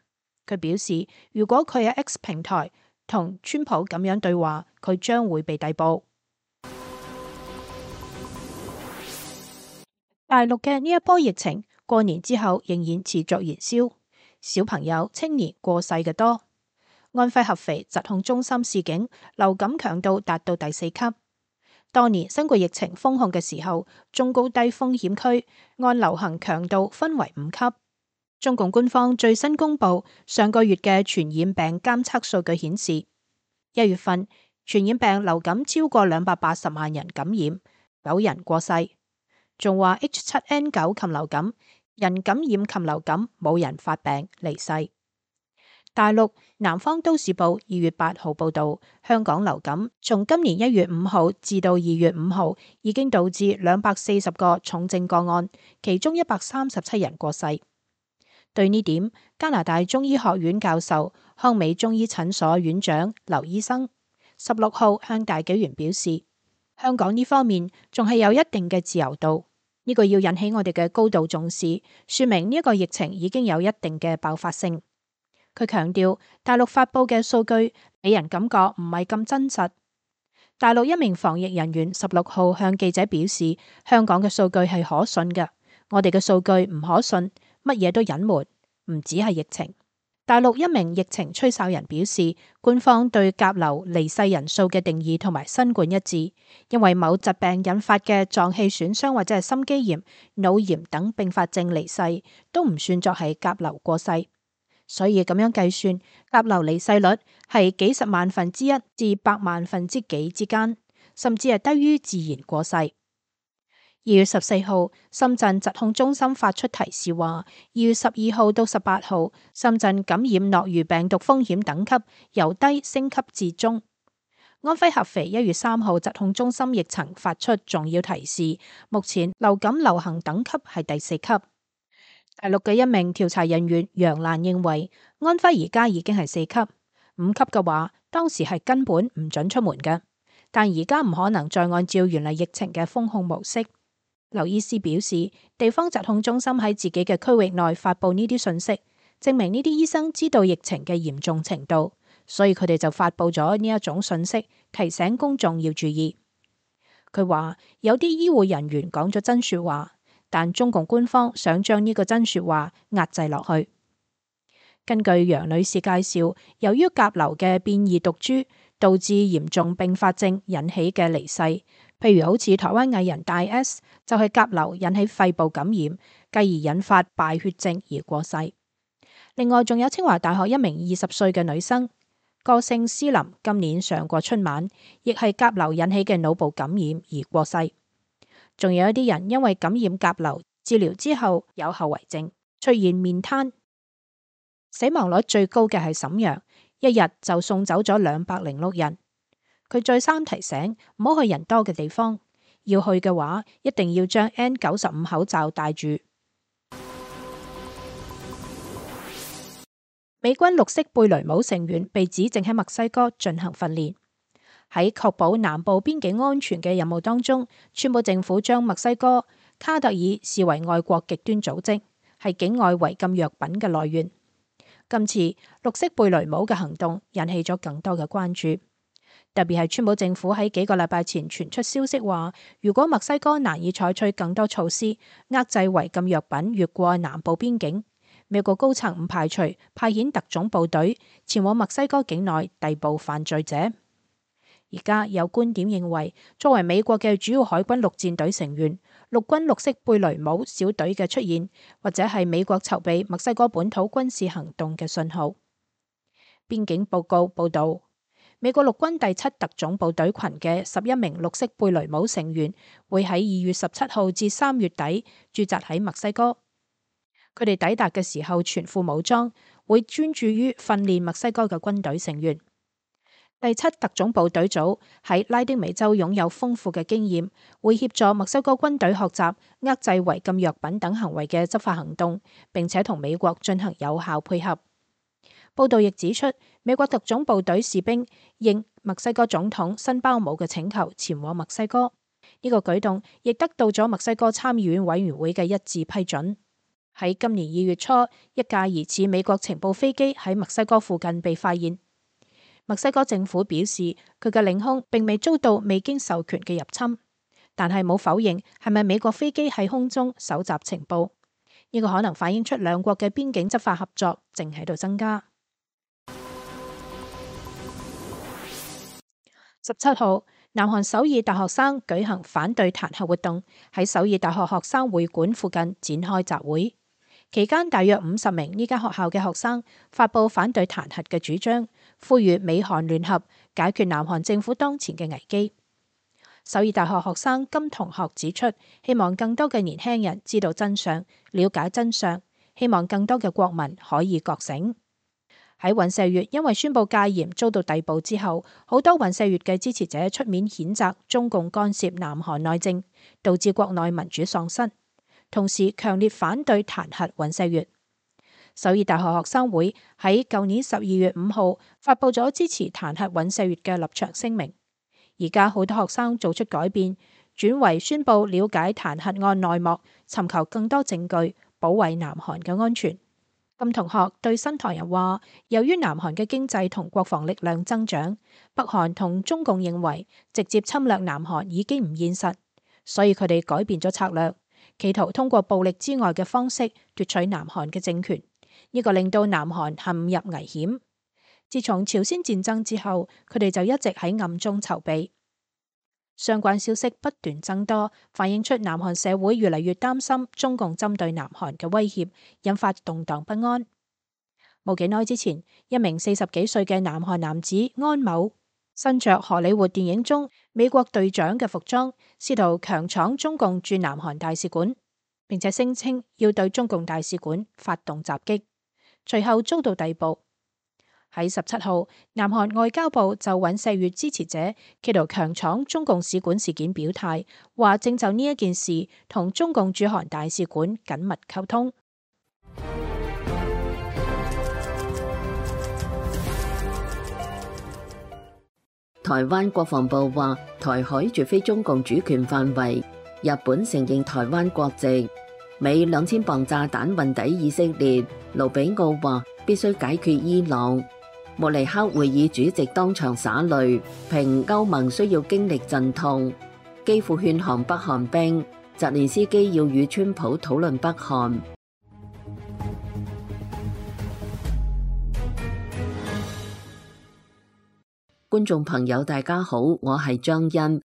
佢表示，如果佢喺 X 平台同川普咁樣對話，佢將會被逮捕。大陸嘅呢一波疫情過年之後仍然持續燃燒，小朋友、青年過世嘅多。安徽合肥疾控中心示警，流感強度達到第4級。當年新冠疫情封控嘅時候，中高低風險區按流行強度分為5級。中共官方最新公布上個月嘅傳染病監測數據顯示，1月份傳染病流感超過280萬人感染，9人過世。仲話 H7N9 禽流感人感染禽流感冇人發病離世。大陸南方都市報2月8號報道，香港流感從今年1月5號至到2月5號已經導致240個重症個案，其中137人過世。對呢點，加拿大中醫學院教授、康美中醫診所院長劉醫生16號向大紀元表示，香港呢方面仲係有一定嘅自由度，呢個要引起我哋嘅高度重視，說明呢一個疫情已經有一定嘅爆發性。佢強調，大陸發佈嘅數據俾人感覺唔係咁真實。大陸一名防疫人員16號向記者表示，香港嘅數據係可信嘅，我哋嘅數據唔可信，乜嘢都隱瞞，唔止係疫情。大陸一名疫情吹哨人表示，官方對甲流離世人數嘅定義同埋新冠一致，因為某疾病引發嘅臟器損傷或者係心肌炎、腦炎等併發症離世，都唔算作係甲流過世。所以咁樣計算，甲流離世率係幾十萬分之一至百萬分之幾之間，甚至係低於自然過世。2月14號，深圳疾控中心發出提示話，2月12號到18號，深圳感染諾如病毒風險等級由低升級至中。安徽合肥1月3號，疾控中心亦曾發出重要提示，目前流感流行等級係第4級。大陸嘅一名調查人員楊瀾認為，安徽而家已經係4級，5級嘅話，當時係根本唔准出門嘅，但而家唔可能再按照原嚟疫情嘅封控模式。劉醫師表示，地方疾控中心喺自己嘅區域內發布呢啲信息，證明呢啲醫生知道疫情嘅嚴重程度，所以佢哋就發布咗呢一種信息，提醒公眾要注意。佢話有啲醫護人員講咗真說話，但中共官方想將呢個真說話壓制落去。根據楊女士介紹，由於甲流嘅變異毒株導致嚴重併發症引起嘅離世，譬如好似台灣藝人大 S 就係甲流引起肺部感染，繼而引發敗血症而過世。另外仲有清華大學一名20歲嘅女生，歌星詩琳今年上過春晚，亦係甲流引起嘅腦部感染而過世。仲有一啲人因為感染甲流治療之後有後遺症，出現面癱。死亡率最高嘅係瀋陽，一日就送走咗206人。佢再三提醒唔好去人多嘅地方，要去嘅話一定要將 N95 口罩戴住。美軍綠色貝雷帽成員被指正喺墨西哥進行訓練。喺確保南部邊境安全嘅任務當中，川普政府將墨西哥卡特爾視為外國極端組織，係境外違禁藥品嘅來源。今次綠色貝雷帽嘅行動引起咗更多嘅關注，特別係川普政府喺幾個禮拜前傳出消息話，如果墨西哥難以採取更多措施遏制違禁藥品越過南部邊境，美國高層唔排除派遣特種部隊前往墨西哥境內逮捕犯罪者。而家有觀點認為，作為美國嘅主要海軍陸戰隊成員，陸軍綠色貝雷帽小隊嘅出現，或者係美國籌備墨西哥本土軍事行動嘅信號。邊境報告報道，美國陸軍第7特種部隊群嘅11名綠色貝雷帽成員會喺2月17號至3月底駐紮喺墨西哥。佢哋抵達嘅時候全副武裝，會專注於訓練墨西哥嘅軍隊成員。第7特種部隊組喺拉丁美洲擁有豐富嘅經驗，會協助墨西哥軍隊學習遏制違禁藥品等行為嘅執法行動，並且同美國進行有效配合。報道亦指出，美國特種部隊士兵應墨西哥總統辛巴姆嘅請求前往墨西哥，呢個舉動亦得到咗墨西哥參議院委員會嘅一致批准。喺今年2月初，一架疑似美國情報飛機喺墨西哥附近被發現。墨西哥政府表示，佢嘅領空並未遭到未經授權嘅入侵，但係冇否認係咪美國飛機喺空中搜集情報。呢個可能反映出兩國嘅邊境執法合作正喺度增加。17號，南韓首爾大學生舉行反對彈劾活動，喺首爾大學學生會館附近展開集會。期間，大約50名呢間學校嘅學生發佈反對彈劾嘅主張，呼籲美韓聯合解決南韓政府當前嘅危機。首爾大學學生金同學指出，希望更多嘅年輕人知道真相，了解真相，希望更多嘅國民可以覺醒。喺尹錫悅因為宣布戒嚴遭到逮捕之後，好多尹錫悅嘅支持者出面譴責中共干涉南韓內政，導致國內民主喪失，同時強烈反對彈劾尹錫悅。首爾大學學生會喺舊年12月5號發佈咗支持彈劾尹錫悅嘅立場聲明。而家好多學生做出改變，轉為宣佈了解彈劾案內幕，尋求更多證據，保衛南韓嘅安全。金同學對新唐人話，由於南韓嘅經濟同國防力量增長，北韓同中共認為直接侵略南韓已經唔現實，所以佢哋改變咗策略，企圖通過暴力之外嘅方式奪取南韓嘅政權。呢個令到南韓陷入危險。自從朝鮮戰爭之後，佢哋就一直喺暗中籌備。相關消息不斷增多，反映出南韓社會越嚟越擔心中共針對南韓嘅威脅，引發動盪不安。冇幾耐之前，一名40幾歲嘅南韓男子安某，身着荷里活電影中美國隊長嘅服裝，試圖強闖中共駐南韓大使館，並且聲稱要對中共大使館發動襲擊，隨後遭到逮捕。喺17號，南韓外交部就尹錫悅支持者企圖強闖中共使館事件表態，話正就呢一件事同中共駐韓大使館緊密溝通。台灣國防部話，台海絕非中共主權範圍，日本承認台灣國籍。美2000磅炸彈運抵以色列，盧比奧話必須解決伊朗。慕尼黑會議主席當場灑淚，評歐盟需要經歷陣痛。基輔勸降北韓兵，澤連斯基要與川普討論北韓。觀眾朋友大家好，我係張欣。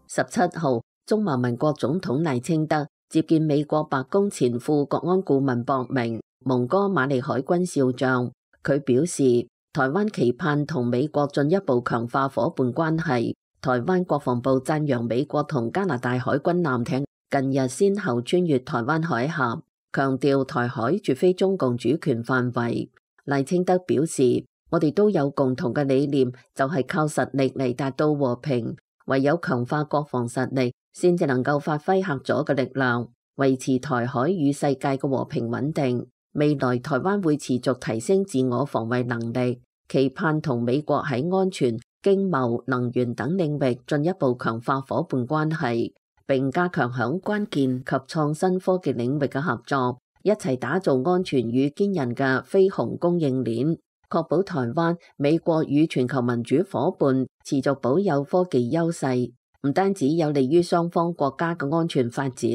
17號，中華民國總統賴清德接見美國白宮前副國安顧問博明、蒙哥馬利海軍少將。佢表示，台灣期盼同美國進一步強化夥伴關係。台灣國防部讚揚美國同加拿大海軍艦艇近日先後穿越台灣海峽，強調台海絕非中共主權範圍。賴清德表示，我哋都有共同嘅理念，就係靠實力嚟達到和平。唯有強化國防實力，先至能夠發揮嚇阻嘅力量，維持台海與世界嘅和平穩定。未來台灣會持續提升自我防衛能力，期盼同美國喺安全、經貿、能源等領域進一步強化夥伴關係，並加強響關鍵及創新科技領域嘅合作，一齊打造安全與堅韌嘅飛鴻供應鏈。確保台灣、美國與全球民主夥伴持續保有科技優勢，唔單止有利於雙方國家嘅安全發展，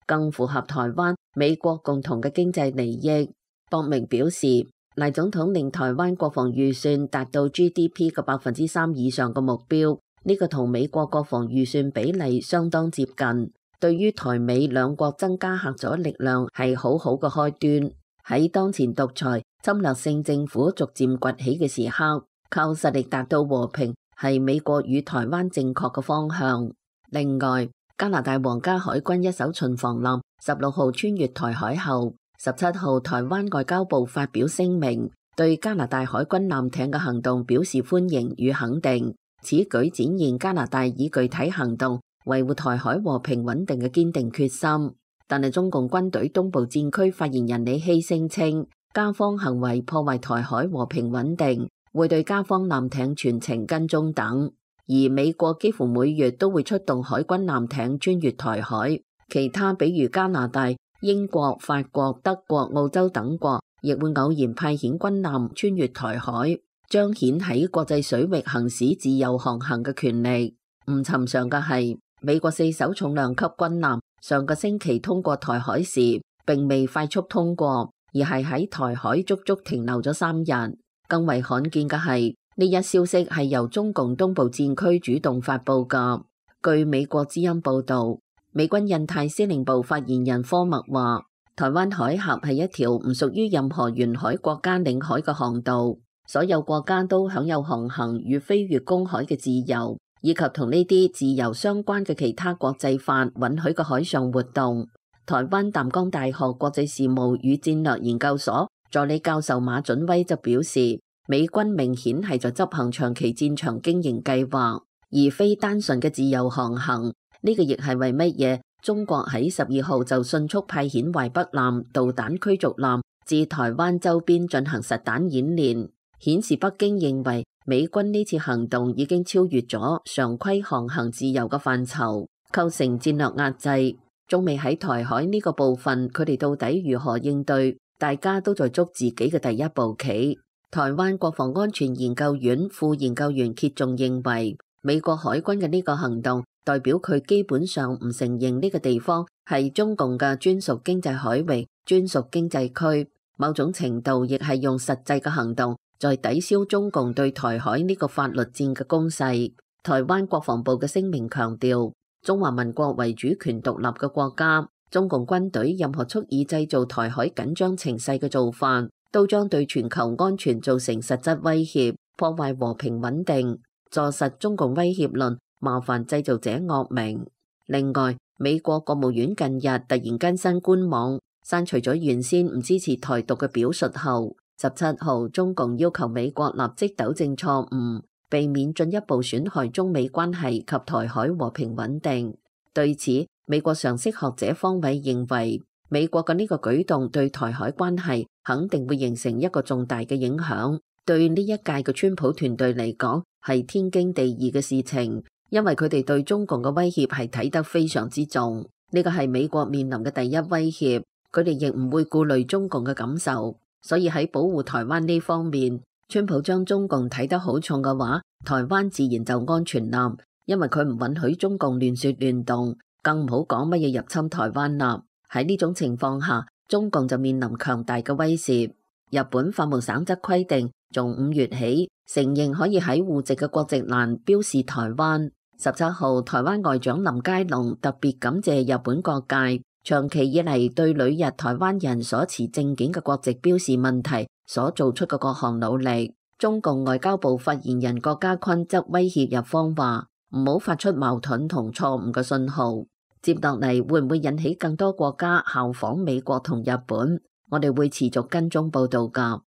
更符合台灣、美國共同嘅經濟利益。博明表示，賴總統令台灣國防預算達到 GDP 嘅3%以上嘅目標，呢個同美國國防預算比例相當接近，對於台美兩國增加嚇阻力量係好好嘅開端。喺當前獨裁侵略性政府逐漸崛起嘅時刻，靠實力達到和平係美國與台灣正確嘅方向。另外，加拿大皇家海軍一艘巡防艦16號穿越台海後，17號台灣外交部發表聲明，對加拿大海軍艦艇嘅行動表示歡迎與肯定。此舉展現加拿大以具體行動維護台海和平穩定嘅堅定決心。但係中共軍隊東部戰區發言人李希聲稱，加方行為破壞台海和平穩定，會對加方艦艇全程跟蹤等。而美國幾乎每月都會出動海軍艦艇穿越台海，其他比如加拿大、英國、法國、德國、澳洲等國亦會偶然派遣軍艦穿越台海，彰顯喺國際水域行使自由航行嘅權利。唔尋常嘅係，美國4艘重量級軍艦上個星期通過台海時，並未快速通過，而係喺台海足足停留咗3日。更為罕見嘅係，呢一消息係由中共東部戰區主動發佈㗎。據美國之音報導，美軍印太司令部發言人科默話，台灣海峽係一條唔屬於任何沿海國家領海嘅航道，所有國家都享有航行與飛越公海嘅自由，以及同呢啲自由相關嘅其他國際法允許嘅海上活動。台灣淡江大學國際事務與戰略研究所助理教授馬準威就表示，美軍明顯係在執行長期戰場經營計劃，而非單純嘅自由航行。呢個亦係為乜嘢中國喺12號就迅速派遣淮北艦導彈驅逐艦至台灣周邊進行實彈演練，顯示北京認為美軍呢次行動已經超越咗常規航行自由嘅範疇，構成戰略壓制。中美喺台海呢個部分，佢哋到底如何應對？大家都在捉自己嘅第一步棋。台灣國防安全研究院副研究員揭仲認為，美國海軍嘅呢個行動代表佢基本上唔承認呢個地方係中共嘅專屬經濟海域、專屬經濟區，某種程度亦係用實際嘅行動在抵消中共對台海呢個法律戰嘅攻勢。台灣國防部嘅聲明強調，中華民國為主權獨立嘅國家，中共軍隊任何蓄意製造台海緊張情勢嘅做法，都將對全球安全造成實質威脅，破壞和平穩定，坐實中共威脅論麻煩製造者惡名。另外，美國國務院近日突然更新官網，刪除咗原先唔支持台獨嘅表述後，17號中共要求美國立即糾正錯誤，避免進一步損害中美關係及台海和平穩定。對此，美國常識學者方偉認為，美國嘅呢個舉動對台海關係肯定會形成一個重大嘅影響，對呢一屆嘅川普團隊嚟講係天經地義嘅事情，因為佢哋對中共嘅威脅係睇得非常之重，呢個係美國面臨嘅第一威脅，佢哋亦唔會顧慮中共嘅感受，所以喺保護台灣呢方面，川普將中共睇得好重嘅話，台灣自然就安全啦，因為佢唔允許中共亂說亂動，更唔好講乜嘢入侵台灣啦。喺呢種情況下，中共就面臨強大嘅威脅。日本法務省則規定，從5月起承認可以喺戶籍嘅國籍欄標示台灣。17號，台灣外長林佳龍特別感謝日本各界長期以嚟對旅日台灣人所持證件嘅國籍標示問題所做出嘅各項努力。中共外交部發言人郭家坤則威脅日方話，唔好發出矛盾同錯誤嘅信號。接落嚟會唔會引起更多國家效仿美國同日本？我哋會持續跟蹤報道㗎。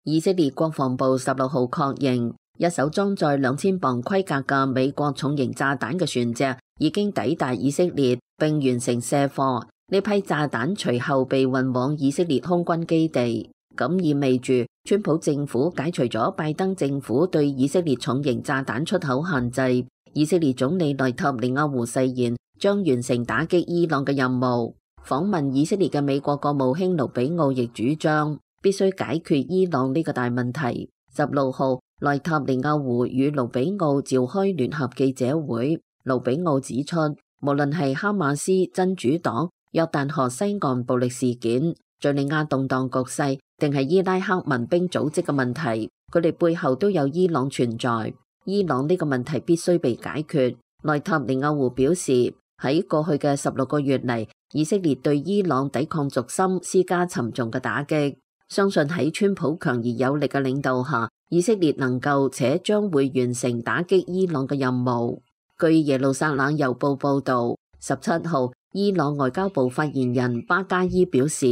以色列國防部16號確認，一艘裝載2000磅規格嘅美國重型炸彈嘅船隻已經抵達以色列並完成卸貨。呢批炸彈隨後被運往以色列空軍基地，咁意味住川普政府解除咗拜登政府對以色列重型炸彈出口限制。以色列總理內塔尼亞胡誓言將完成打擊伊朗嘅任務。訪問以色列嘅美國國務卿盧比奧亦主張必須解決伊朗呢個大問題。16號，內塔尼亞胡與盧比奧召開聯合記者會，盧比奧指出，無論係哈馬斯、真主黨、約旦河西岸暴力事件、敘利亞動盪局勢，定係伊拉克民兵組織嘅問題，佢哋背後都有伊朗存在。伊朗呢個問題必須被解決。內塔尼亞胡表示，喺過去嘅16個月嚟，以色列對伊朗抵抗軸心施加沉重嘅打擊。相信喺川普強而有力嘅領導下，以色列能夠且將會完成打擊伊朗嘅任務。據耶路撒冷郵報報導，17號，伊朗外交部發言人巴加伊表示，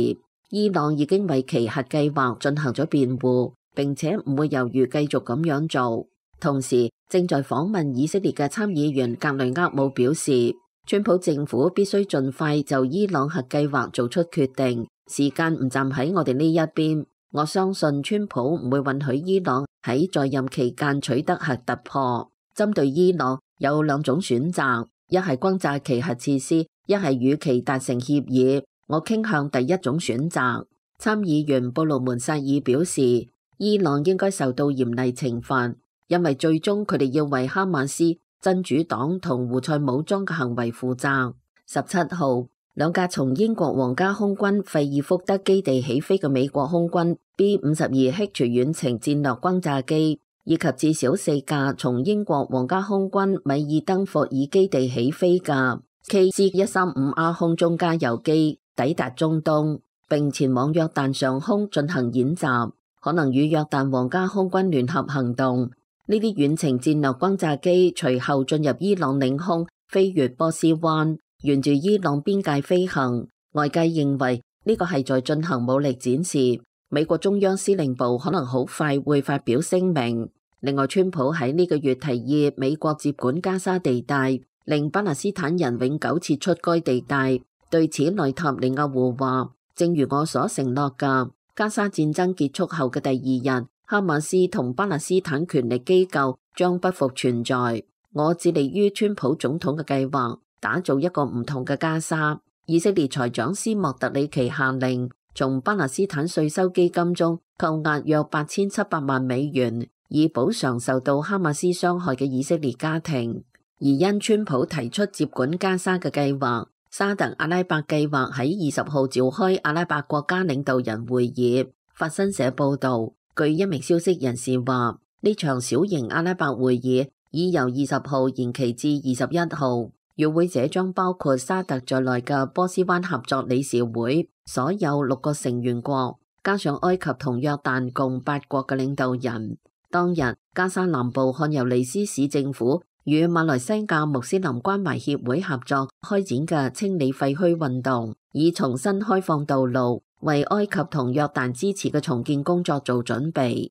伊朗已經為其核計劃進行咗辯護，並且唔會猶豫繼續咁樣做。同時，正在訪問以色列嘅參議員格雷厄姆表示，川普政府必須盡快就伊朗核計劃做出決定，時間唔站喺我哋呢一邊。我相信川普唔會允許伊朗喺在任期間取得核突破。針對伊朗有兩種選擇，一係轟炸其核設施，一係與其達成協議。我傾向第一種選擇。參議員布魯門薩爾表示，伊朗應該受到嚴厲懲罰，因為最終佢哋要為哈馬斯、真主黨同胡塞武裝嘅行為負責。17號，兩架從英國皇家空軍費爾福德基地起飛嘅美國空軍 B-52H 遠程戰略轟炸機，以及至少4架從英國皇家空軍米爾登霍爾基地起飛嘅 KC-135R 空中加油機抵達中東，並前往約旦上空進行演習，可能與約旦皇家空軍聯合行動。呢啲遠程戰略轟炸機隨後進入伊朗領空，飛越波斯灣，沿住伊朗邊界飛行。外界認為呢個係在進行武力展示。美國中央司令部可能好快會發表聲明。另外，川普喺呢個月提議美國接管加沙地帶，令巴勒斯坦人永久撤出該地帶。對此，內塔尼亞胡話：正如我所承諾嘅，加沙戰爭結束後嘅第二日，哈馬斯同巴勒斯坦權力機構將不復存在。我致力於川普總統嘅計劃，打造一個唔同嘅加沙。以色列財長斯莫特里奇下令從巴勒斯坦稅收基金中扣押約8700萬美元，以補償受到哈馬斯傷害嘅以色列家庭。而因川普提出接管加沙嘅計劃，沙特阿拉伯計劃喺20號召開阿拉伯國家領導人會議。法新社報導，據一名消息人士話，呢場小型阿拉伯會議已由20號延期至21號。與會者將包括沙特在內嘅波斯灣合作理事會所有6個成員國，加上埃及同約旦共8國嘅領導人。當日，加沙南部漢尤尼斯市政府與馬來西亞穆斯林關懷協會合作開展嘅清理廢墟運動，以重新開放道路，為埃及同約旦支持嘅重建工作做準備。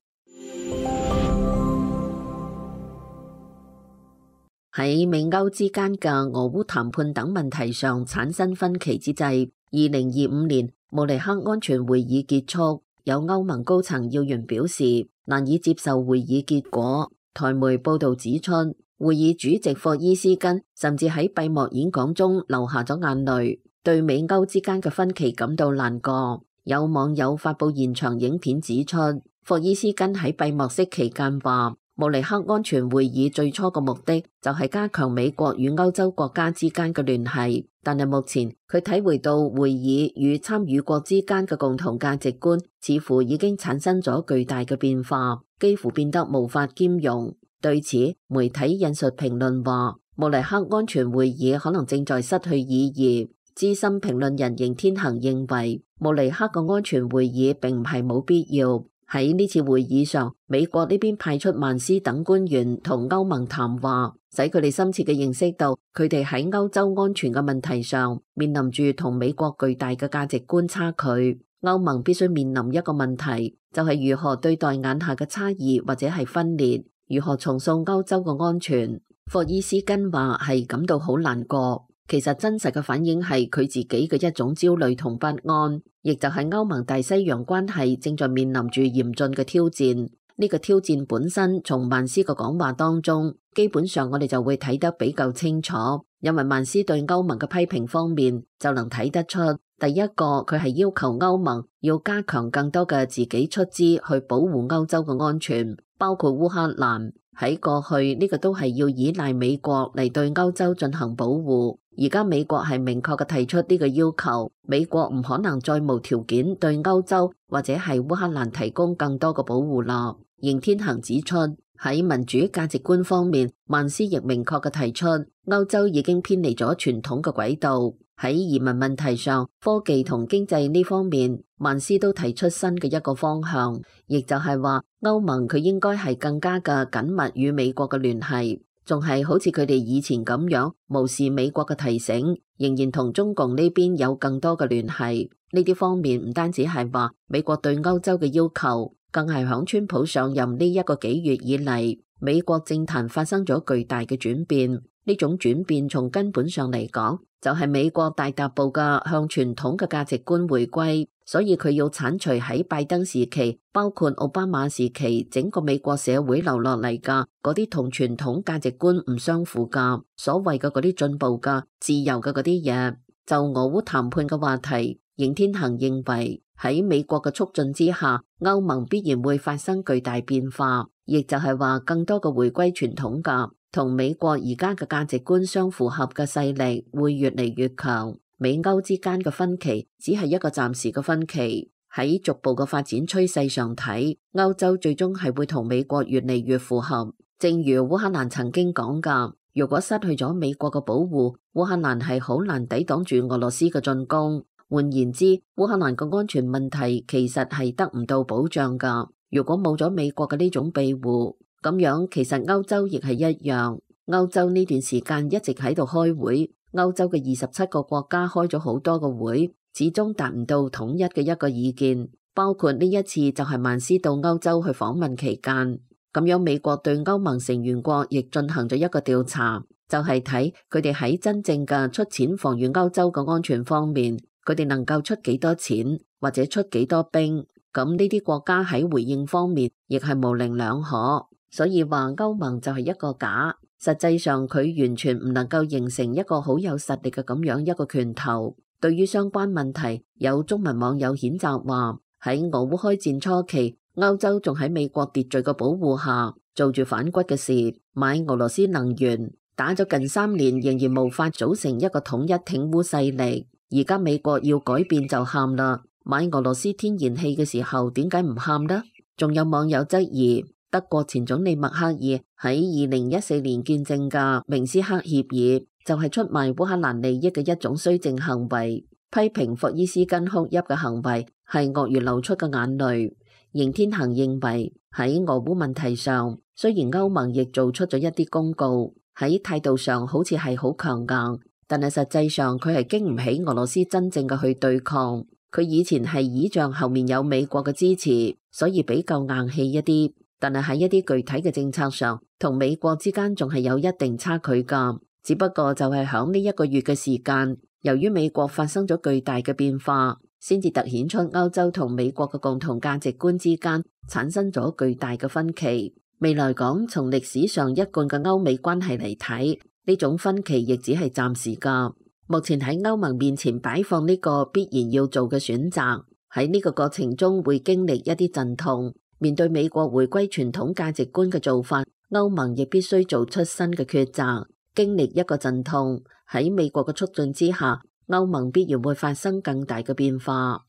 喺美歐之間嘅俄烏談判等問題上產生分歧之際，2025年慕尼黑安全會議結束，有歐盟高層要員表示難以接受會議結果。台媒報導指出，會議主席霍伊斯根甚至喺閉幕演講中流下咗眼淚，對美歐之間嘅分歧感到難過。有網友發布現場影片指出，霍伊斯根喺閉幕式期間話，慕尼黑安全會議最初嘅目的就係加強美國與歐洲國家之間嘅聯繫，但係目前佢體會到會議與參與國之間嘅共同價值觀似乎已經產生咗巨大嘅變化，幾乎變得無法兼容。對此，媒體引述評論話，慕尼黑安全會議可能正在失去意義。資深評論人邢天行認為，慕尼黑嘅安全會議並唔係冇必要。喺呢次會議上，美國呢邊派出曼斯等官員同歐盟談話，使佢哋深切嘅認識到佢哋喺歐洲安全嘅問題上面臨住同美國巨大嘅價值觀差距。歐盟必須面臨一個問題，就係如何對待眼下嘅差異或者係分裂，如何重塑歐洲嘅安全。霍伊斯根話係感到好難過。其實真實嘅反應係佢自己嘅一種焦慮同不安，亦就係歐盟大西洋關係正在面臨住嚴峻嘅挑戰。呢個挑戰本身從曼斯嘅講話當中，基本上我哋就會睇得比較清楚。因為曼斯對歐盟嘅批評方面就能睇得出，第一個佢係要求歐盟要加強更多嘅自己出資去保護歐洲嘅安全，包括烏克蘭。喺過去呢個都係要依賴美國嚟對歐洲進行保護，而家美國係明確嘅提出呢個要求，美國唔可能再無條件對歐洲或者係烏克蘭提供更多嘅保護啦。邢天行指出，喺民主價值觀方面，曼斯亦明確嘅提出，歐洲已經偏離咗傳統嘅軌道。喺移民問題上、科技同經濟呢方面，曼斯都提出新嘅一個方向，亦就係話歐盟佢應該係更加嘅緊密與美國嘅聯繫，仲係好似佢哋以前咁樣無視美國嘅提醒，仍然同中共呢邊有更多嘅聯繫。呢啲方面唔單止係話美國對歐洲嘅要求，更係響川普上任呢一個幾月以嚟，美國政壇發生咗巨大嘅轉變。呢種轉變從根本上嚟講，就係美國大踏步嘅向傳統嘅價值觀回歸，所以佢要剷除喺拜登時期，包括奧巴馬時期整個美國社會留落嚟嘅嗰啲同傳統價值觀唔相符嘅所謂嘅嗰啲進步嘅自由嘅嗰啲嘢。就俄烏談判嘅話題，邢天行認為喺美國嘅促進之下，歐盟必然會發生巨大變化，亦就係話更多嘅回歸傳統嘅同美國而家嘅價值觀相符合嘅勢力會越嚟越強，美歐之間嘅分歧只係一個暫時嘅分歧。喺逐步嘅發展趨勢上睇，歐洲最終係會同美國越嚟越符合。正如烏克蘭曾經講㗎，如果失去咗美國嘅保護，烏克蘭係好難抵擋住俄羅斯嘅進攻。換言之，烏克蘭嘅安全問題其實係得唔到保障㗎。如果冇咗美國嘅呢種庇護，咁樣其實歐洲亦係一樣。歐洲呢段時間一直喺度開會，歐洲嘅27個國家開咗好多個會，始終達唔到統一嘅一個意見。包括呢一次就係曼斯到歐洲去訪問期間，咁樣美國對歐盟成員國亦進行咗一個調查，就係睇佢哋喺真正嘅出錢防禦歐洲嘅安全方面，佢哋能夠出幾多錢或者出幾多兵。咁呢啲國家喺回應方面亦係模棱兩可，所以話歐盟就係一個假。實際上佢完全唔能夠形成一個好有實力嘅咁樣一個拳頭。對於相關問題，有中文網友譴責話，喺俄烏開戰初期，歐洲仲喺美國秩序嘅保護下做住反骨嘅事，買俄羅斯能源，打咗近3年仍然無法組成一個統一挺烏勢力。而家美國要改變就喊啦，買俄羅斯天然氣嘅時候點解唔喊呢？仲有網友質疑德國前總理默克爾喺2014年見證嘅明斯克協議就係出賣烏克蘭利益嘅一種綏靖行為，批評霍伊斯根哭泣嘅行為係鱷魚流出嘅眼淚。邢天行認為喺俄烏問題上，雖然歐盟亦做出咗一啲公告，喺態度上好似係好強硬，但係實際上佢係經唔起俄羅斯真正嘅去對抗。佢以前係倚仗後面有美國嘅支持，所以比較硬氣一啲。但係喺一啲具體嘅政策上，同美國之間仲係有一定差距㗎。只不過就係響呢1個月嘅時間，由於美國發生咗巨大嘅變化，先至突顯出歐洲同美國嘅共同價值觀之間產生咗巨大嘅分歧。未來講，從歷史上一貫嘅歐美關係嚟睇，呢種分歧亦只係暫時㗎。目前喺歐盟面前擺放呢個必然要做嘅選擇，喺呢個過程中會經歷一啲陣痛。面對美國回歸傳統價值觀嘅做法，歐盟亦必須做出新嘅抉擇，經歷一個陣痛。喺美國嘅促進之下，歐盟必然會發生更大嘅變化。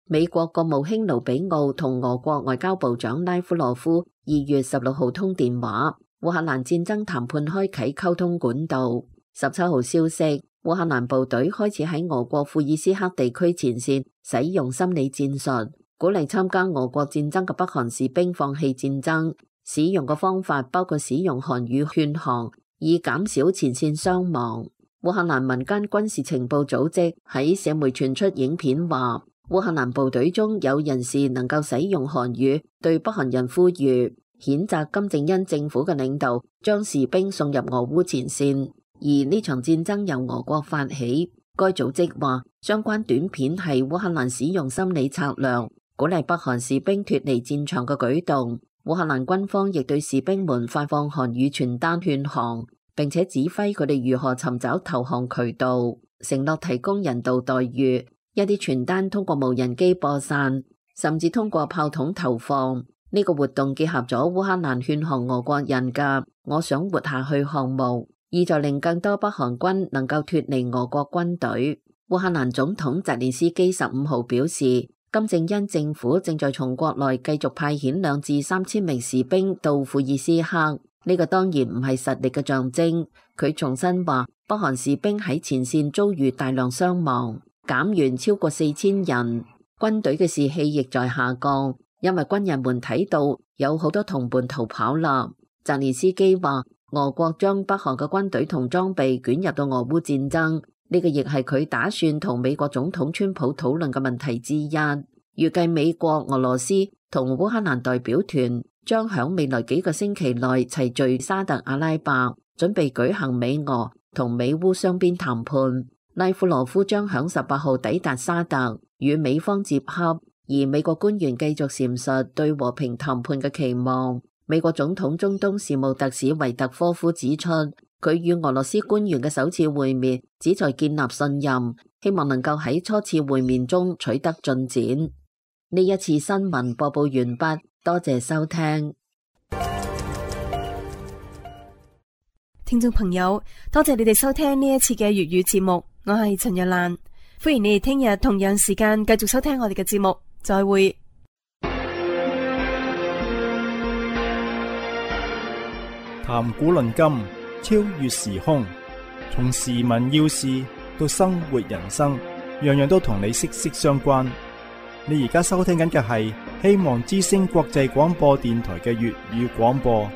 美國國務卿盧比奧同俄國外交部長拉夫羅夫2月16號通電話，烏克蘭戰爭談判開啟溝通管道。17號消息，烏克蘭部隊開始喺俄國庫爾斯克地區前線使用心理戰術，鼓勵參加俄國戰爭嘅北韓士兵放棄戰爭。使用嘅方法包括使用韓語勸降，以減少前線傷亡。烏克蘭民間軍事情報組織喺社媒傳出影片話，烏克蘭部隊中有人士能夠使用韓語，對北韓人呼籲，譴責金正恩政府嘅領導將士兵送入俄烏前線。而呢場戰爭由俄國發起，該組織話相關短片係烏克蘭使用心理策略，鼓勵北韓士兵脫離戰場嘅舉動。烏克蘭軍方亦對士兵們發放韓語傳單勸降，並且指揮佢哋如何尋找投降渠道，承諾提供人道待遇。一啲傳單通過無人機播散，甚至通過炮筒投放。呢個活動結合咗烏克蘭勸降俄國人嘅我想活下去項目，意在令更多北韓軍能夠脫離俄國軍隊。烏克蘭總統澤連斯基15號表示，金正恩政府正在從國內繼續派遣2至3千名士兵到庫爾斯克，呢個當然唔係實力嘅象徵。佢重申話，北韓士兵喺前線遭遇大量傷亡，減員超過4000人，軍隊嘅士氣亦在下降，因為軍人們睇到有好多同伴逃跑啦。澤連斯基話，俄國將北韓嘅軍隊同裝備捲入到俄烏戰爭，呢個亦係佢打算同美國總統川普討論嘅問題之一。預計美國、俄羅斯同烏克蘭代表團將響未來幾個星期內齊聚沙特阿拉伯，準備舉行美俄同美烏雙邊談判。拉夫羅夫將響18號抵達沙特，與美方接洽。而美國官員繼續闡述對和平談判嘅期望。美國總統中東事務特使維特科夫指出，佢與俄羅斯官員嘅首次會面旨在建立信任，希望能夠喺初次會面中取得進展。呢一次新聞播報完畢，多謝收聽。聽眾朋友，多謝你哋收聽呢一次嘅粵語節目，我係陳若蘭，歡迎你哋聽日同樣時間繼續收聽我哋嘅節目，再會。談古論今，超越時空，從時聞要事到生活人生，樣樣都同你息息相關。你而家收聽緊嘅係希望之聲國際廣播電台嘅粵語廣播。